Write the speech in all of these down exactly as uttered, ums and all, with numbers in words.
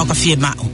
Pafie maʻu.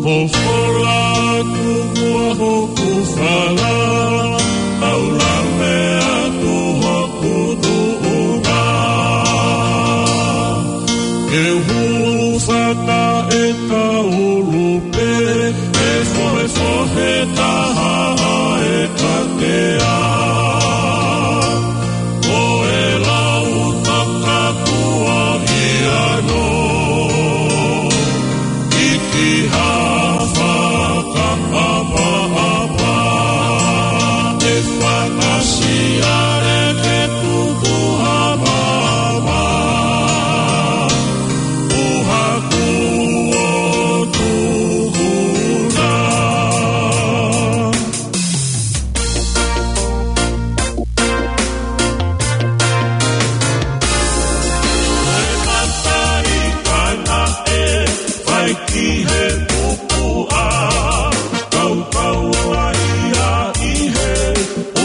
Popola kuku a hoku fala, au lave atu hoku tuʻunga. Ke hūfanga e kaulu pē, e fohefohe taha e katea. Ko e lau fakatuʻa ia no, ʻi ki ha fakaʻapaʻapa, e fakasiale ke tuku ha mama. Uhaku o tuhuna. Ko e mata i kana e fai ki he pupuʻa, kaukau ala ia ʻi he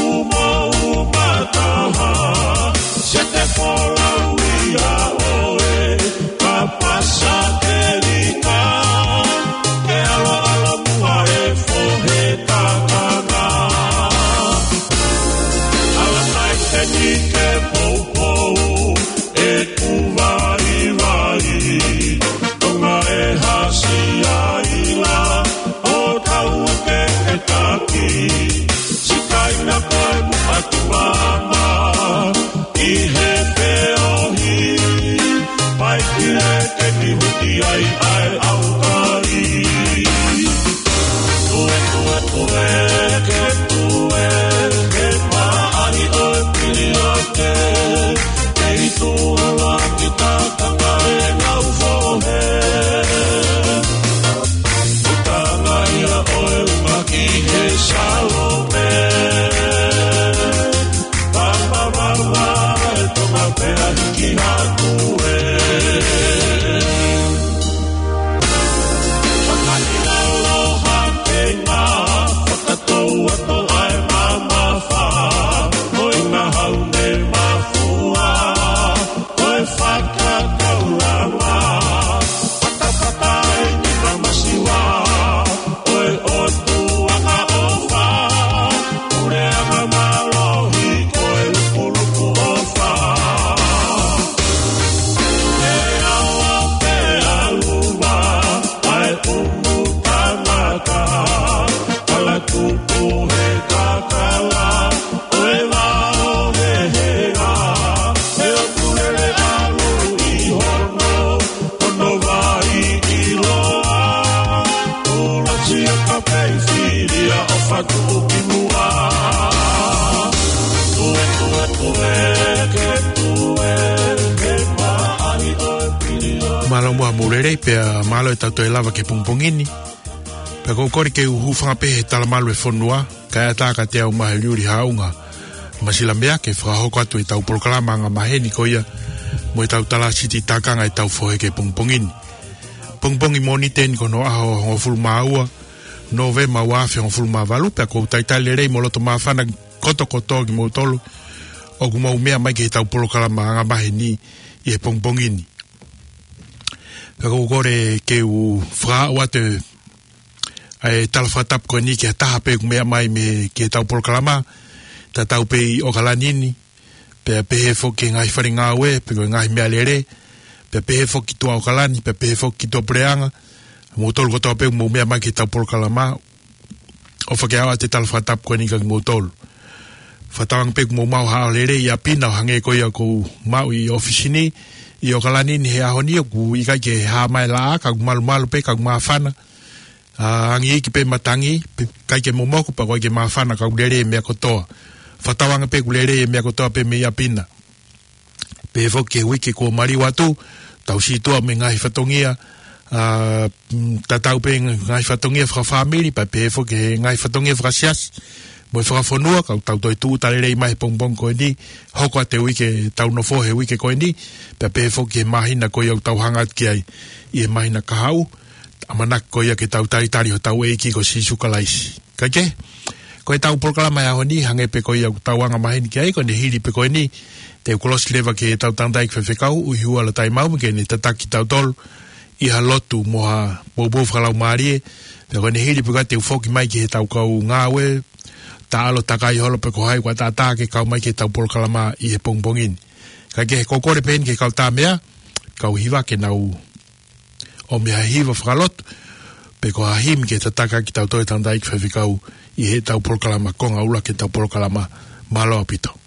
umauma taha, se te folau ia ʻoe, ka pasa ke lika, ke aloalo muʻa e fohe takanga. Ala mai te ni ke poupou, e kuvaivai, Tonga e hasi ai la, ʻo tau ke ke taki. Sikaina ko e muʻa ki mama, ʻi he feohi, pai ki he ke ni huti ai ʻa e ʻaukai. Tue, tue, tue, ke tue, ke maʻali ʻo e piliote, ke itu ala ki takanga e ngau fohe. Utanga ia ʻo e uma ki he Salome. Papa, papa, e Tonga pea hiki hake ē. Fakahina aloha ke ngā fakatouato ʻa e mamafa, ʻo e ngahau ne mafua, ʻo e fakakaulanga, fatafata ʻi he masiva, ʻo e ʻOtua ka ʻofa, puleʻanga mālohi ko e lupulupu ʻofa. E awa pē ʻalu vā, ʻa e ʻumu tangata, ala tupu he kakala, ʻo e vao he hea, he ʻoku lele ʻalu ʻi hono, hono vai ʻiloa, ʻulusia ka pei filia ʻo fatu ki muʻa. Tue, tue, tue, ke tue, ke maʻali ʻo e pilio. Mālō muʻa mou lelei pea mālō e tau toe lava ki he pongipongi ni. Pea ʻoku ou kole ke u hūfanga pē he talamalu e fonua, kae ʻatā kiate au mo Heliuli Haʻunga Masilamea ke fakahoko atu e tau polokalama anga maheni ko ia mo e tau tala siti takanga e tau fohe ki he pongipongi ni. Pongipongi Mōnite ni ko hono ʻaho hongofulu mā ua Nōvema ua afe hongofulu mā valu, pea ʻoku ou talitali lelei mo loto māfana kotokotoa kimoutolu ʻoku mou meʻa mai ki he tau polokalama anga maheni ʻi he pongipongi ni. Pea ʻoku ou kole ke u fakaaʻu atu ʻa e tala fakatapu ko eni ki ha taha pē ʻoku meʻa mai mei he, ki heʻetau polokalama, tatau pē ʻi ʻOkalani ni, pea pehē foki ki he ngaahi fale ngāue, pe ko e ngaahi meʻalele, pea pehē foki ki tuʻa ʻOkalani, pea pehē foki ki tuʻa puleʻanga, moutolu kotoa pē ʻoku mou meʻa mai ki heʻetau polokalama, ʻofa ke aʻu atu e tala fakatapu ko eni kia kimoutolu. Fakatauange pē ʻoku mou maʻu ha ʻaho lelei ʻi ʻapi na ʻo hangē ko ia ʻoku ou maʻu ʻi ʻōfisi ni, ʻi ʻOkalani ni he ʻaho ni ʻoku ʻikai ke hā mai e laʻā, ka ʻoku malumalu pē, ka ʻoku māfana. ʻA, angi iiki pē matangi, pe ʻikai ke momoko, pea ʻoku ʻikai ke māfana, ka ʻoku lelei e meʻa kotoa. Fakatauange pē ʻoku lelei e meʻa kotoa pē mei ʻapi na. Pehē foki ki he uike kuo maliu atu, tau sītuʻa mo e ngaahi fatongia, ʻa, mm, tatau pē ngaahi fatongia fakafāmili, pea pehē foki ki he ngaahi fatongia fakasiasi, mo e fakafonua, ka ʻoku tau toe tūʻuta lelei mai he pongipongi ko eni, hoko atu e uike, tau nofo he uike ko eni, pea pehē foki ki he māhina ko ia ʻoku tau hanga atu ki ai, ʻi he māhina kahaʻu, ʻamanaki ko ia ke tau talitali hotau ʻEiki ko Sīsū Kalaisi. Kae kehe, ko ʻetau polokalama he ʻaho ni, hangē pē ko ia ʻoku tau anga maheni ki ai, ko ʻene hili pē ko eni, te u kolosi leva ki heʻetau tangataʻeiki faifekau, ʻUhihuʻa Lotaimau, ke ne tataki kitautolu ʻi ha lotu mo ha poupou fakalaumālie, pea ko ʻene hili pē ko ia te u foki mai ki heʻetau kau ngāue, taʻalo takai holo pe ko hai ʻoku ʻataʻatā ke kau mai ki heʻetau polokalama ʻi he pongipongi ni. Kae kehe, ʻoku ou kole pē eni ki he kau tāmeʻa, kau hiva ke nau ʻomi ha hiva fakalotu, pe ko ha himi ke tataki kitautolu e tangataʻeiki faifekau ʻi heʻetau polokalama konga ʻuluaki ʻetau polokalama. Mālō ʻaupito.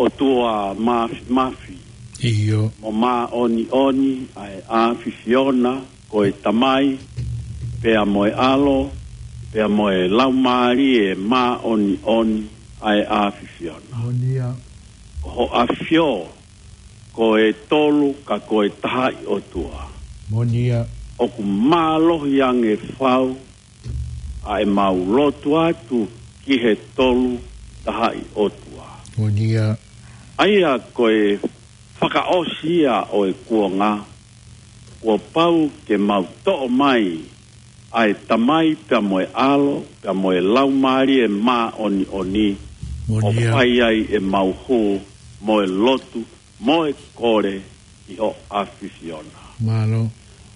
ʻOtua Māfimafi, ʻio, mo māʻoniʻoni ʻa e ʻAfiona, ko e Tamai, pea mo e ʻAlo, pea mo e Laumālie Māʻoniʻoni ʻa e ʻAfiona. Moʻoni ia. Ko ho ʻAfio, ko e tolu ka ko e tahaʻi ʻOtua. Moʻoni ia. ʻOku mālohi ange fau ʻa ʻemau lotu atu ki he tolu tahaʻi ʻOtua. Moʻoni ia. ʻA ia ko e fakaʻosi ia ʻo e kuonga, kuo pau ke mau toʻo mai ʻa e Tamai pea mo e ʻAlo, pea mo e Laumālie Māʻoniʻoni, ʻo, moʻoni ia, fai ai ʻemau hū mo e lotu mo e kole ʻi ho ʻAfiona. Mālō.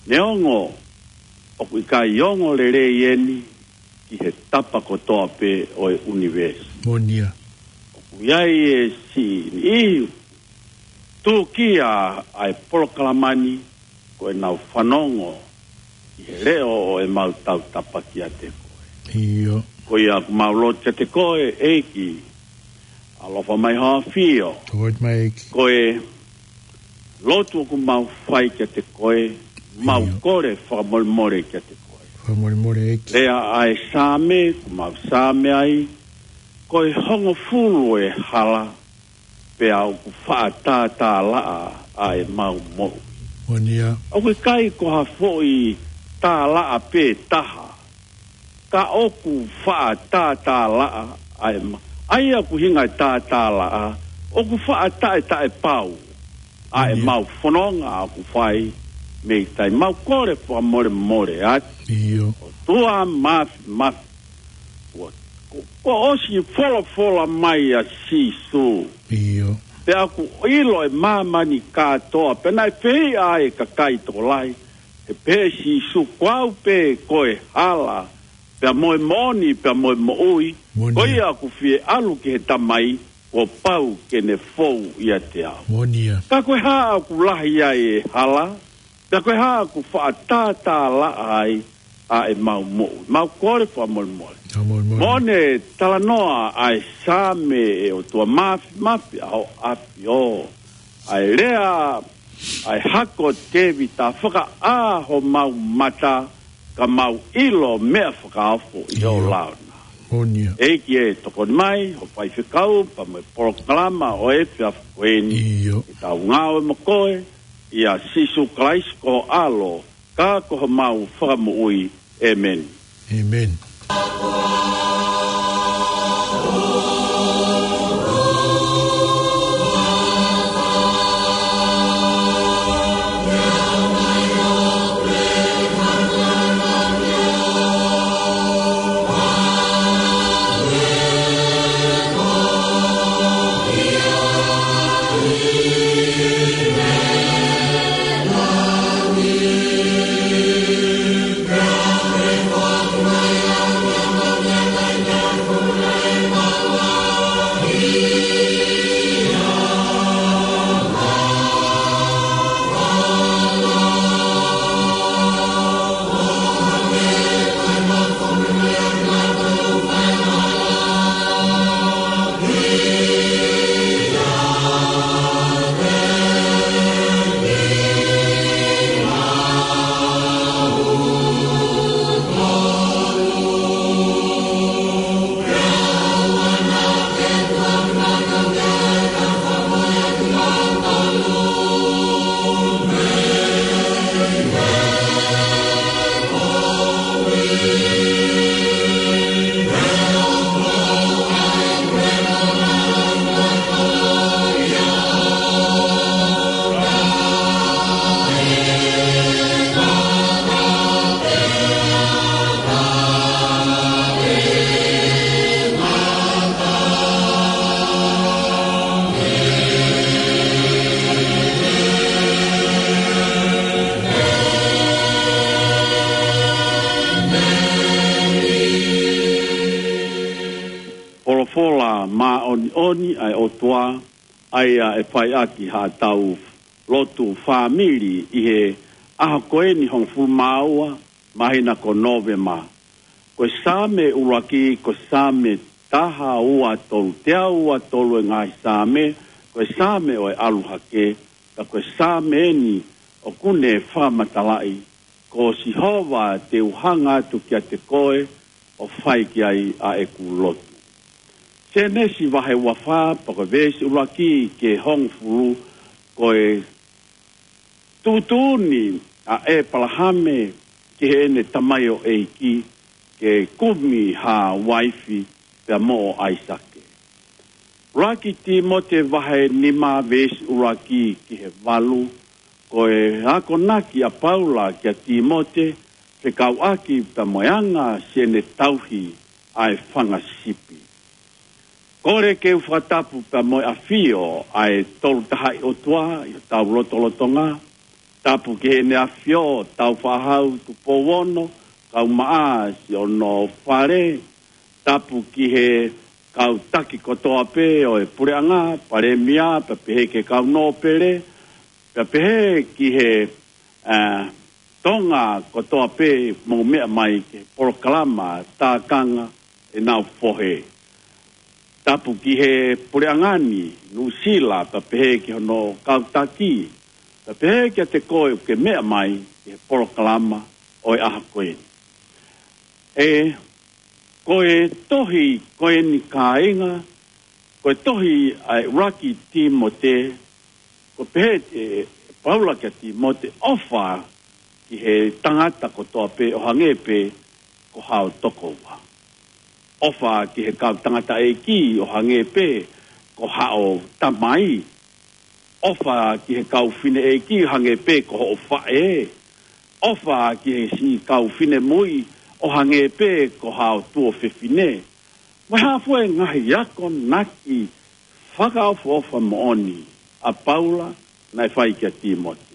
Neongo ʻoku ʻikai ongo lelei eni ki he tapa kotoa pē ʻo e ʻunivēsi. Moʻoni ia. ʻOku ʻi ai e siʻi niʻihi tūkia ʻa e polokalama ni, ko ʻenau fanongo ʻi he leʻo ʻo ʻemau tautapa kiate koe. ʻIo. Ko ia ʻoku mau lotu kiate koe, ʻEiki, ʻalofa mai ho ʻAfio. Tokoni mai, ʻEiki. Ko e Lotu ʻoku mau fai kiate koe, mau ʻIo. kole fakamolemole kiate koe. Fakamolemole ʻEiki. Lea ʻa e Saame, ʻoku mau Saame ai, ko e hongofulu e hala, pea ʻoku faʻa tātālaʻa ʻa e mau moʻui. Moʻoni ia. ʻOku ʻikai ko ha foʻi tālaʻa pē taha, ka ʻoku faʻa tātālaʻa ʻa e ma-, ʻa ia ʻoku hinga e tātālaʻa, ʻoku faʻa taʻetaʻepau ʻa e Ia. mau fononga ʻoku fai mei tahi. Mau kole fakamolemole atu. ʻIo. ʻOtua Māfimafi, ua, ko, ko ʻosi folofola mai ʻa Sīsū. ʻIo. Pea ʻoku ʻilo ʻe māmani kātoa, pea naʻe fehiʻa ai e kakai tokolahi, he pehē ʻe Sīsū, ko au pē ko e hala, pea mo e moʻoni, pea mo e moʻui, Moʻoni. ko ia ʻoku fie ʻalu ki he Tamai, kuo pau ke ne fou ʻiate au. Moʻoni ia. Ka ko e hā ʻoku lahi ai e hala, pea ko e hā ʻoku faʻa tātālaʻa ai ʻa e mau moʻui. Mau kole fakamolemole. Fakamolemole. Mo ne talanoa ʻa e Saame, ʻe ʻOtua Māfimafi ʻa hoʻo ʻAfio. ʻA e lea ʻa e hako ʻo Tēvita, fakaʻā homau mata, ka mau ʻilo meʻa fakaofo ʻi ho ʻIo. lao na. Moʻoni ia. ʻEiki ē, tokoni mai ho faifekau, pea mo e polokalama ʻo e efiafi ko eni. ʻIo. Ke tau ngāue mo koe, ʻia Sīsū Kalaisi ko ho ʻAlo, ka ko homau Fakamoʻui. ʻĒmeni. ʻĒmeni. Folofola māʻoniʻoni ʻa e ʻOtua, ʻa ia ʻe fai ʻaki haʻatau lotu fāmili ʻi he ʻaho ko eni hongofulu mā ua māhina ko Nōvema. Ko e Saame ʻuluaki, ko e Saame taha ua tolu, teau ua tolu e ngaahi Saame, ko e Saame ʻo e ʻalu hake, ka ko e Saame eni ʻoku ne fakamatalaʻi, ko Sihova te u hanga atu kiate koe ʻo fai ki ai ʻa ʻeku lotu. Sēnesi vahe ua fā, pea ko e veesi ʻuluaki ki he hongofulu, ko e tuʻutuʻuni ʻa ʻĒpalahame ki heʻene tamaioʻeiki ke kumi ha uaifi pea mo ʻAisake. ʻUluaki Tīmote vahe nima veesi ʻuluaki ki he valu, ko e akonaki ʻa Paula kia Tīmote, fekauʻaki pea mo e anga siʻene tauhi ʻa e fanga sipi. Kole ke u fakatapu pea mo e ʻafio ʻa e Tolu Tahaʻi ʻOtua ʻi hotau lotolotonga. Tapu ki heʻene ʻAfio Tāufaʻāhau Tupou Ono, kaumaʻā siʻono fale. Tapu ki he kau taki kotoa pē ʻo e puleʻanga, palēmia, pea pehē ki he kau nōpele, pea pehē ki he, ā, Tonga kotoa pē mou meʻa mai ki he polokalama tākanga ʻenau fohe. Tapu ki he puleʻanga ni, Nuʻusila, pea pehē ki hono kau taki, Ka pehē kiate koe ʻoku ke meʻa mai ki he polokalama ʻo e ʻaho ko eni. ʻE, ko e tohi ko eni, kāinga, ko e tohi ʻa e ʻuluaki Tīmote, ko e pehē ʻe Paula kia Tīmote, ʻofa ki he tangata kotoa pē ʻo hangē pē ko hao tokoua. ʻOfa ki he kau tangataʻeiki ʻo hangē pē ko hao tamai. ʻOfa ki he kau fineʻeiki ʻo hangē pē ko hoʻo faʻē. ʻOfa ki he siʻi kau finemui ʻo hangē pē ko hao tuofefine. Mo e hā fua e ngaahi akonaki fakaʻofoʻofa moʻoni ʻa Paula naʻe fai kia Tīmote.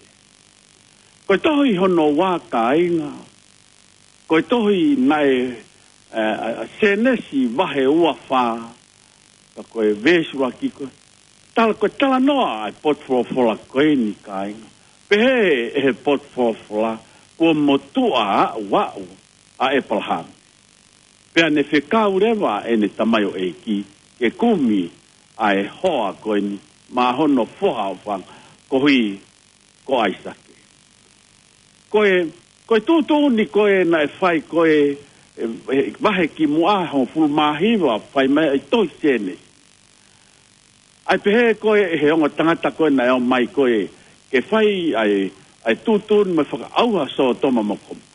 Ko e tohi hono ua, kāinga, ko e tohi naʻe, ē, ʻa, ʻa Sēnesi vahe ua fā, ka ko e veesi ʻuluaki ko e tala, ko e talanoa ʻa e potufolofola ko eni, kāinga. Pehē ʻe he potufolofola, kuo motuʻa aʻuaʻu ʻa ʻEpalahame. Pea ne fekau leva ʻene tamaioʻeiki ke kumi ʻa e hoa ko eni maʻa hono foha ʻofaʻanga, koeʻuhi ko ʻAisake. Ko e, ko e tuʻutuʻuni ko ē naʻe fai ko ē, ē, ē, vahe kimuʻa hongofulu mā hiva, fai mai ʻi he tohi Sēnesi. ʻA e pehē ko ē ʻe he ongo tangata ko ē naʻe ō mai ko ē ke fai ʻa e, ʻa e tuʻutuʻuni mo e fakaʻauha ʻo Sōtoma mo Kōmora.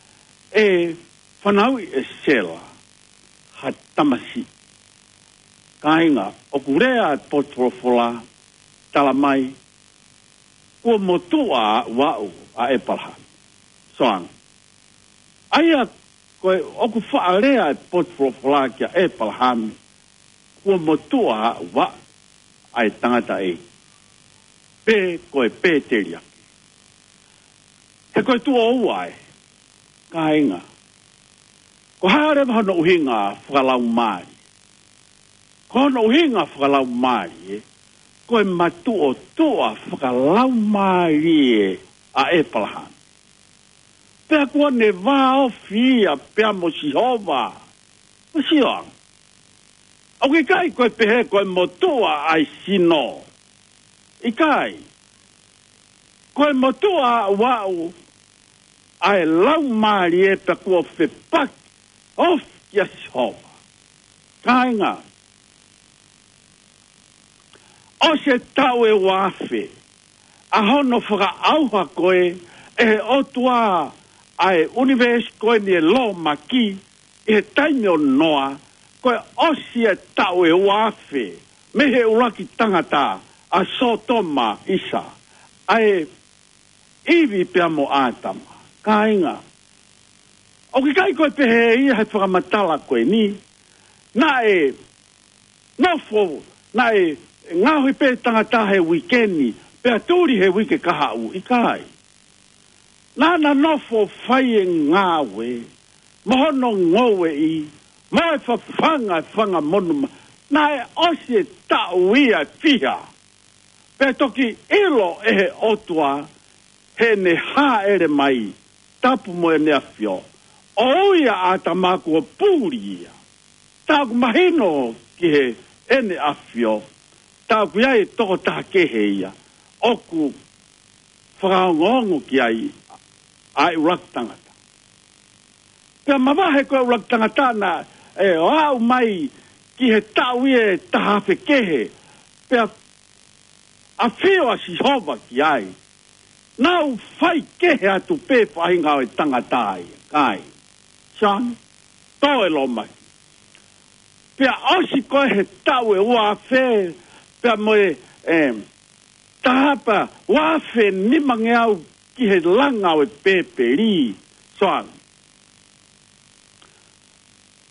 ʻE fanauʻi ʻe Sela ha tamasiʻi. Kāinga, ʻoku lea e potufolofola, tala mai, kuo motuʻa aʻuaʻu ʻa ʻEpalahame. Soang. ʻA ia ko e ʻoku faʻa lea e potufolofola kia ʻEpalahame, kuo motuʻa aʻuaʻu ʻa e tangataʻeiki, pe ko e pēteliake. He ko e tuʻo ua ē, kāinga. Ko e hā leva hono ʻuhinga fakalaumālie? Ko hono ʻuhinga fakalaumālie, ko e matuʻotuʻa fakalaumālie ʻa ʻEpalahame. Pea kuo ne vāofi ia pea mo Sihova. Ko Sihova. ʻOku ʻikai ko e pehē ko e motuʻa ʻa e sino. ʻIkai. Ko e motuʻa aʻuaʻu ʻa e laumālie pea kuo fepaki ofi kia Sihova. Kāinga, ʻosi e taʻu ʻe ua afe ʻa hono fakaʻauha ko ē ʻe he ʻOtua ʻa e ʻunivēsi ko eni, e lōmaki, ʻi he taimi ʻo Noa, ko e ʻosi e taʻu ʻe ua afe mei he ʻuluaki tangata, ʻa Sōtoma ʻisa, ʻa e ʻIvi pea mo ʻĀtama. Kāinga, ʻoku ʻikai ko e pehē ia he fakamatala ko eni. Naʻe nofo, naʻe ngaohi pē tangata he uike ni, pea tuli he uike kahaʻu, ʻikai. Naʻá na nofo fai e ngāue, mo hono ngoueʻi, mo e fafanga e fanga monumanu. Naʻe ʻosi e taʻu ia ʻe fiha, pea toki ʻilo ʻe he ʻOtua heʻene hāʻele mai, tapu mo ʻEne ʻAfio, ʻo ui ʻa ʻĀtama kuo puli ia. Tā ʻoku mahino ki heʻene ʻAfio, tā ʻoku ʻi ai e tokotaha kehe ia ʻoku fakaongoongo ki ai ʻa e ʻuluaki tangata. Pea mavahe ko e ʻuluaki tangata naʻe ʻo aʻu mai ki he taʻu ia ʻe taha afe kehe, pea ʻafio ʻa Sihova ki ai. Naʻe faikehe atu pē faʻahinga ʻo e tangata ia, kāinga. Soang, tō e lōmaki. Pea ʻosi ko ē he taʻu ʻe ua afe, pea mo e, em, taha pea ua afe nimangeau ki he langa ʻo e pēpeli, Soang.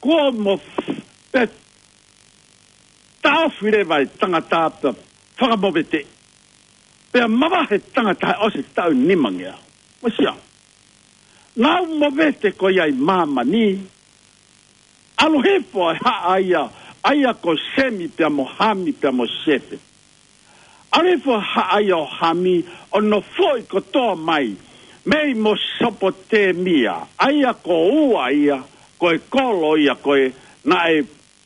Kuo mo f-, pea taʻofi leva e tangata pea fakamoveteʻi. Pea mavahe tangata he ʻosi e taʻu ʻe nimangeau. Mo Sihova. Naʻe movete ko ia ʻi māmani. ʻAlu hifo e haʻa ia, ʻa ia ko Semi pea mo Hami pea mo Sefeti. ʻAlu hifo e haʻa ia ʻo Hami ʻo nofoʻi kotoa mai mei Mesopotemia, ʻa ia ko ua ia, ko e kolo ia ko ē naʻe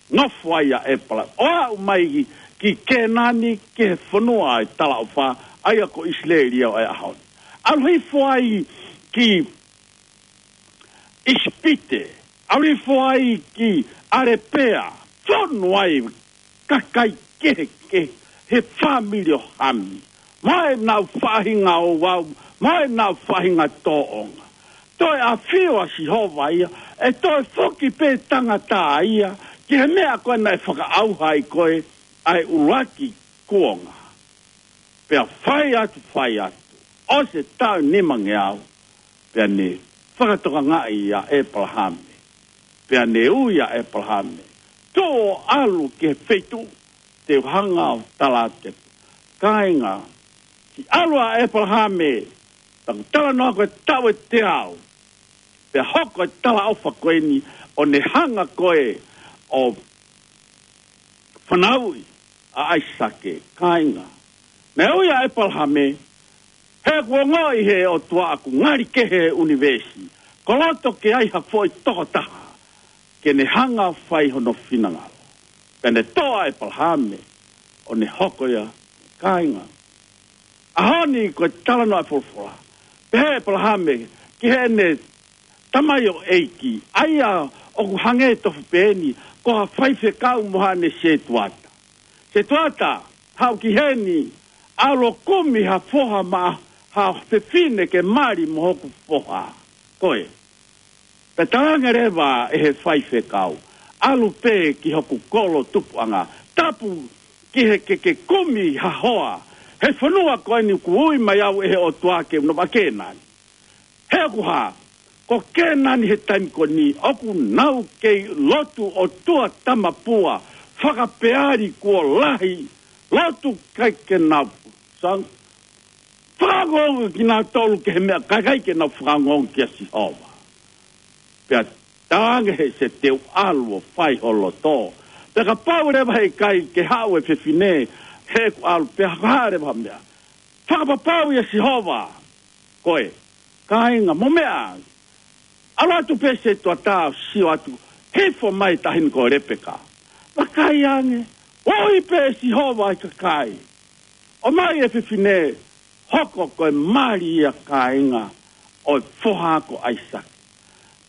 nofo ai ʻa ʻEpalahame. ʻO aʻu mai ki, ki Kēnani, ki he fonua ʻo e talaʻofa, ʻa ia ko ʻIsileli ia ʻo e ʻaho ni. ʻAlu hifo ai ki ʻIsipite, ʻalu hifo ai ki ʻAlepea, fonu ai kakai kehekehe he fāmili ʻo Hami, mo ʻenau faʻahinga ouau, mo ʻenau faʻahinga tōʻonga. Toe ʻafio ʻa Sihova ia, ʻe toe foki pē tangata ia ki he meʻa ko ē naʻe fakaʻauha ai ko ē ʻa e ʻuluaki kuonga. Pea fai atu, fai atu, ʻosi e taʻu nimangeau, pea ne fakatokangaʻi ʻa ʻEpalahame. Pea ne ui ʻa ʻEpalahame, tuʻu ʻo ʻalu ki he feituʻu te u hanga ʻo tala atu kiate koe. Kāinga, siʻi ʻalu ʻa ʻEpalahame, taku talanoa ko e taʻu ʻe teau, pea hoko e talaʻofa ko eni ʻo ne hanga ko ē ʻo fanauʻi ʻa ʻAisake. Kāinga, naʻe ui ʻa ʻEpalahame, he ʻoku ongoʻi he ʻOtua ʻoku ngali kehe e ʻunivēsi, ko loto ke ai ha foʻi tokotaha ke ne hanga ʻo fai hono finangalo. Pea ne toʻo ʻa ʻEpalahame ʻo ne hoko ia. Kāinga, ʻaho ni ko e talanoa e folofola, pehē ʻe ʻEpalahame ki heʻene tamaioʻeiki, ʻa ia ʻoku hangē tofu pē eni ko ha faifekau mo haʻane setuata. Setuata, haʻu ki heni, ʻalu ʻo kumi ha foha maʻa ha fefine ke mali mo hoku foha. Ko e, pea talaange leva ʻe he faifekau, ʻalu pē ki hoku kolo tupuʻanga, tapu ki he ke ke kumi ha hoa he fonua ko eni kuo ui mai au ʻe he ʻOtua ke u nofo ai, Kēnani. He ʻoku hā, ko Kēnani he taimi ko eni ʻoku nau kei lotu ʻotua tamapua, fakapeali kuo lahi, lotu ʻikai ke nau sang, fakaongoongo kinautolu ki he meʻa, ʻikai ke nau fakaongoongo kia Sihova. Pea talaange he ʻe te u ʻalu ʻo fai ho loto. Pea kapau leva he ʻikai ke haʻu e fefine, he ʻoku ʻalu pē, hā leva ha meʻa. Fakapapauʻi ʻa Sihova koe, kāinga, mo meʻa. ʻAlu atu pē setuata ʻo sio atu, hifo mai e taʻahine ko Lepeka. Vakai ange, ui pē ʻe Sihova ʻa e kakai, ʻomai e fefine, hoko ko e mali ia, kāinga, ʻo e foha ko ʻAisake.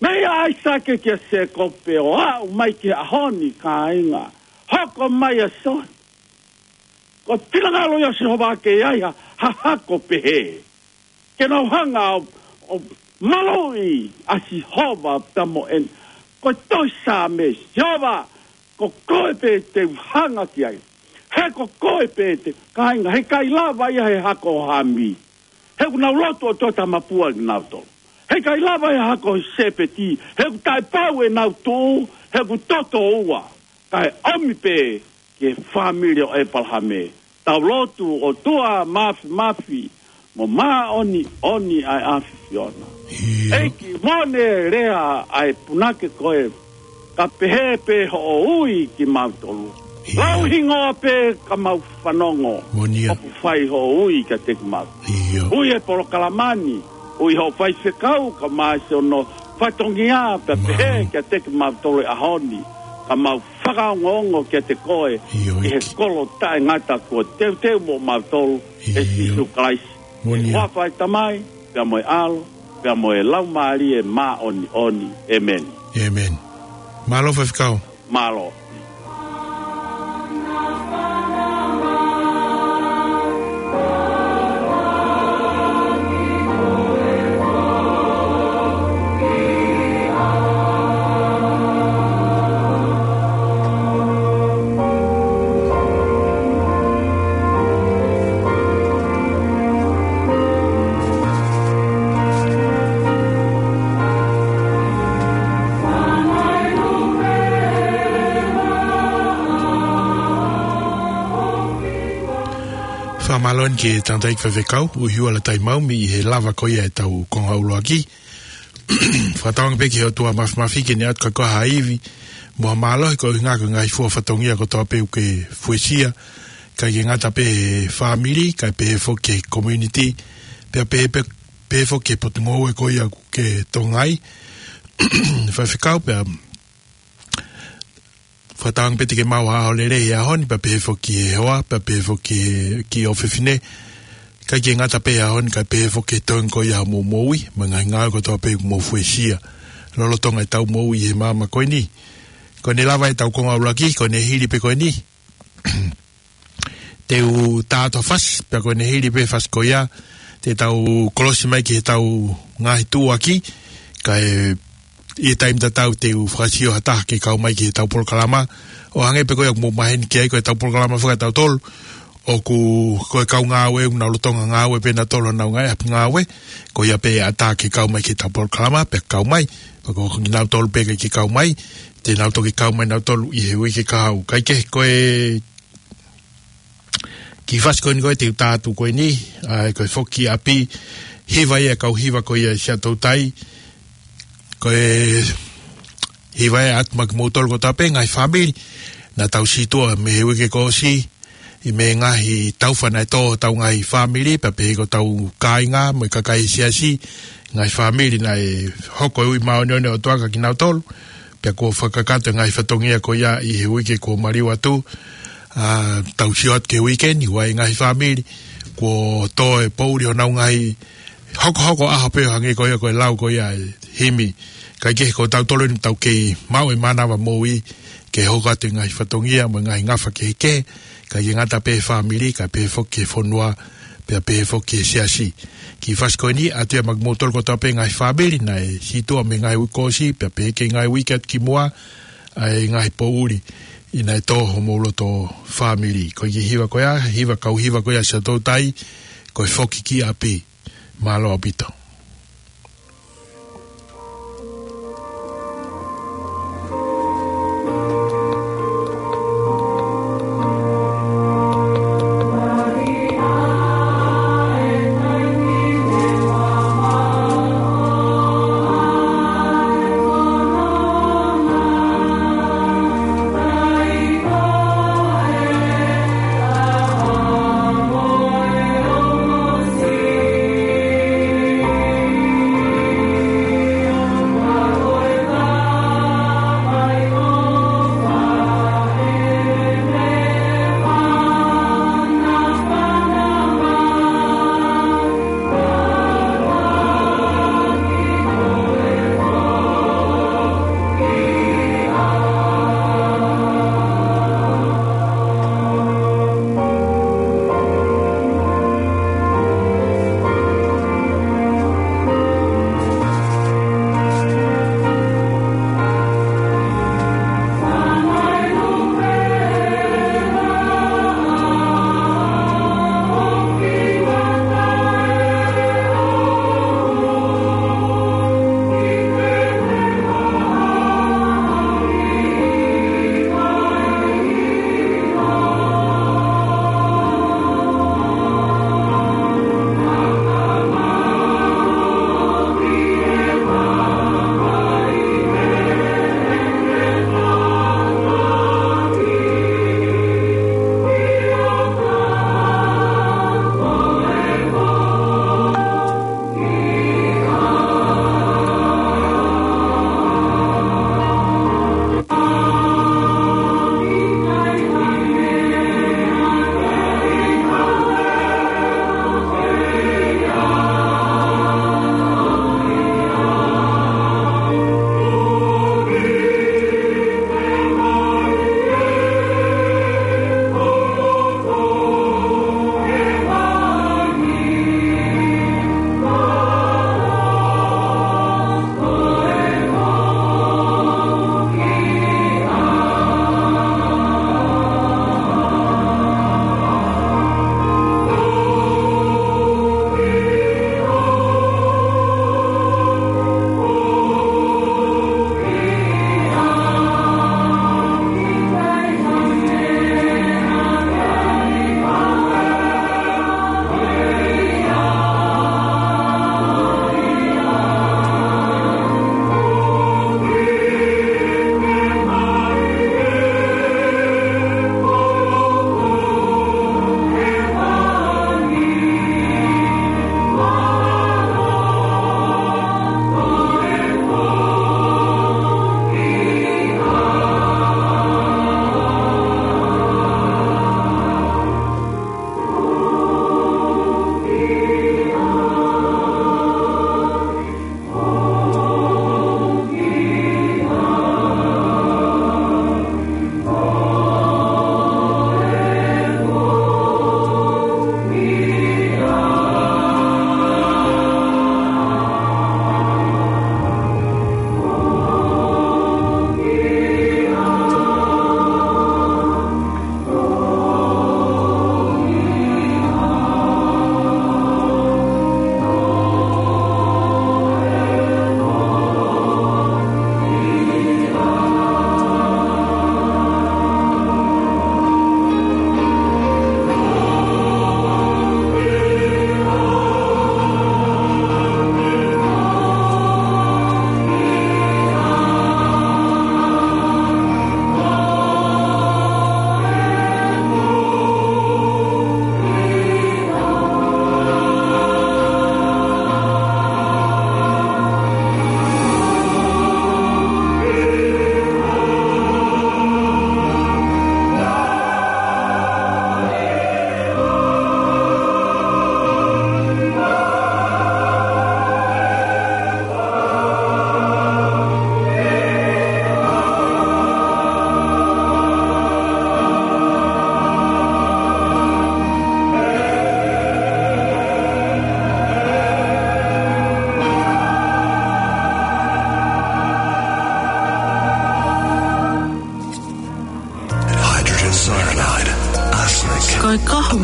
Mei ʻAisake kia Sēkope ʻo aʻu mai ki he ʻaho ni, kāinga, hoko mai ʻa Sihova. Ko e finangalo ia ʻo Sihova ke ai ha, ha hako pehē, ke nau hanga ʻo, ʻo maluʻi ʻa Sihova pea mo ʻene. Ko e tohi Saame, Sihova, ko koe pē te u hanga ki ai. He ko koe pē te, kāinga, he ʻikai lava ia he hako ʻo Hami, he ʻoku nau lotu ʻotua tamapua kinautolu. He ʻikai lava he hako ʻo Sēpeti, he ʻoku taʻepau ʻenau tuʻu, he ʻoku toto ua. Kae ʻomi pē ki he fāmili ʻo ʻEpalahame. Tau lotu. ʻOtua Māfimafi mo māʻoniʻoni ʻa e ʻAfiona. ʻIo. ʻEiki, mo ʻene lea ʻa e punake ko ē, ka pehē pē hoʻo ui kimautolu. ʻIo. Lau hingoa pē ka mau fanongo. Moʻoni ia. ʻOku fai hoʻo ui kiate kimautolu. ʻIo. Ui e polokalama ni, ui hoʻo faifekau ka mai se ono fatongia pea pehē kiate kimautolu he ʻaho ni, ka mau fakaongoongo kiate koe ʻi he kolo taʻengata kuo teuteu moʻo mautolu ʻe Sīsū Kalaisi. Moʻoni ia. Huafa ʻo e Tamai, pea mo e ʻAlo, pea mo e Laumālie Māʻoniʻoni. ʻĒmeni. ʻĒmeni. Mālō faifekau. Mālō. Fakamālō eni ki he tangataʻeiki faifekau, ʻUhiua Lataimau, mei he lava ko ia ʻetau konga ʻuluaki. Fakatauange pē ki he ʻOtua Māfimafi ke ne ʻatu kiate koe ha ivi mo ha mālohi, koeʻuhi ko e ngaahi fua fatongia kotoa pē ʻoku ke fuesia, ʻikai ke ngata pē he fāmili, kae pehē foki ki he community, pea pehē pē, pehē foki ki he potungāue ko ia ʻoku ke tokangaʻi. Faifekau, pea fakatauange pē te ke maʻu ha ʻaho lelei he ʻaho ni, pea pehē foki ki he hoa, pea pehē foki ki he ʻofefine. ʻIkai ke ngata pē he ʻaho ni, kae pehē foki ki he toenga ko ia hoʻomou moʻui, mo e ngaahi ngāue kotoa pē ʻoku mou fuesia lolotonga ʻetau moʻui ʻi he māmani ko eni. Ko ʻene lava ʻetau konga ʻuluaki, ko ʻene hili pē ko eni. Te u tā atu ha fasi, pea ko ʻene hili pē fasi ko ia, te tau kolosi mai ki heʻetau ngaahi tuʻuaki, kae ʻi he taimi tatau te u fakasio ha taha ke kau mai ki heʻetau polokalama. ʻO hangē pē ko ia ʻoku mou maheni ki ai, ko ʻetau polokalama fakatautolu, ʻoku, ko e kau ngāue, ʻoku nau lolotonga ngāue pē nautolu honau ngaahi ʻapi ngāue, ko ia pē ʻe ʻatā ke kau mai ki heʻetau polokalama, pea kau mai, pea ko kinautolu pē ʻikai ke kau mai, te nau toki kau mai nautolu ʻi he uike kahaʻu. Kae kehe ko e kiʻi fasi ko eni ko ē te u tā atu ko eni, ʻa ia ko e foki ki ʻapi, hiva ia ʻa e kau hiva ko ia ʻi Siaʻatoutai, ko e hiva ia ʻoatu maʻa kimoutolu kotoa pē ngaahi fāmili, naʻa tau situʻa mei he uike kuo ʻosi, ʻi he ngaahi taufa naʻe tō hotau ngaahi fāmili, pea pehē ki hotau kāinga, mo e kakai siasi, ngaahi fāmili naʻe hoko e ui māʻoniʻoni ʻo e ʻOtua kia kinautolu, pea kuo fakakakato e ngaahi fatongia ko ia ʻi he uike kuo maliu atu, ʻa, tau sio atu ki he uike ni, ʻoku ʻi ai e ngaahi fāmili, kuo tō e poʻuli honau ngaahi hokohoko ʻaho pē ʻo hangē ko ia ko e lau ko ia e himi. Kae kehe ko tautolu eni tau kei maʻu e mānava moʻui, ke hoko atu e ngaahi fatongia, mo e ngaahi ngafa kehekehe, ʻikai ke ngata pē he fāmili, kae pehē foki ki he fonua, pea pehē foki ki he siasi. Kiʻi fasi ko eni, ʻoatu ia maʻa kimoutolu kotoa pē ngaahi fāmili, naʻe situʻa mei he ngaahi uike kuo ʻosi, pea pehē ki he ngaahi uike atu ki muʻa, ʻa e ngaahi poʻuli, ʻi naʻe tō homou loto fāmili. Ko e kiʻi hiva ko ia, hiva kau hiva ko ia Siaʻatoutai, ko e foki ki ʻapi. Mālō ʻaupito.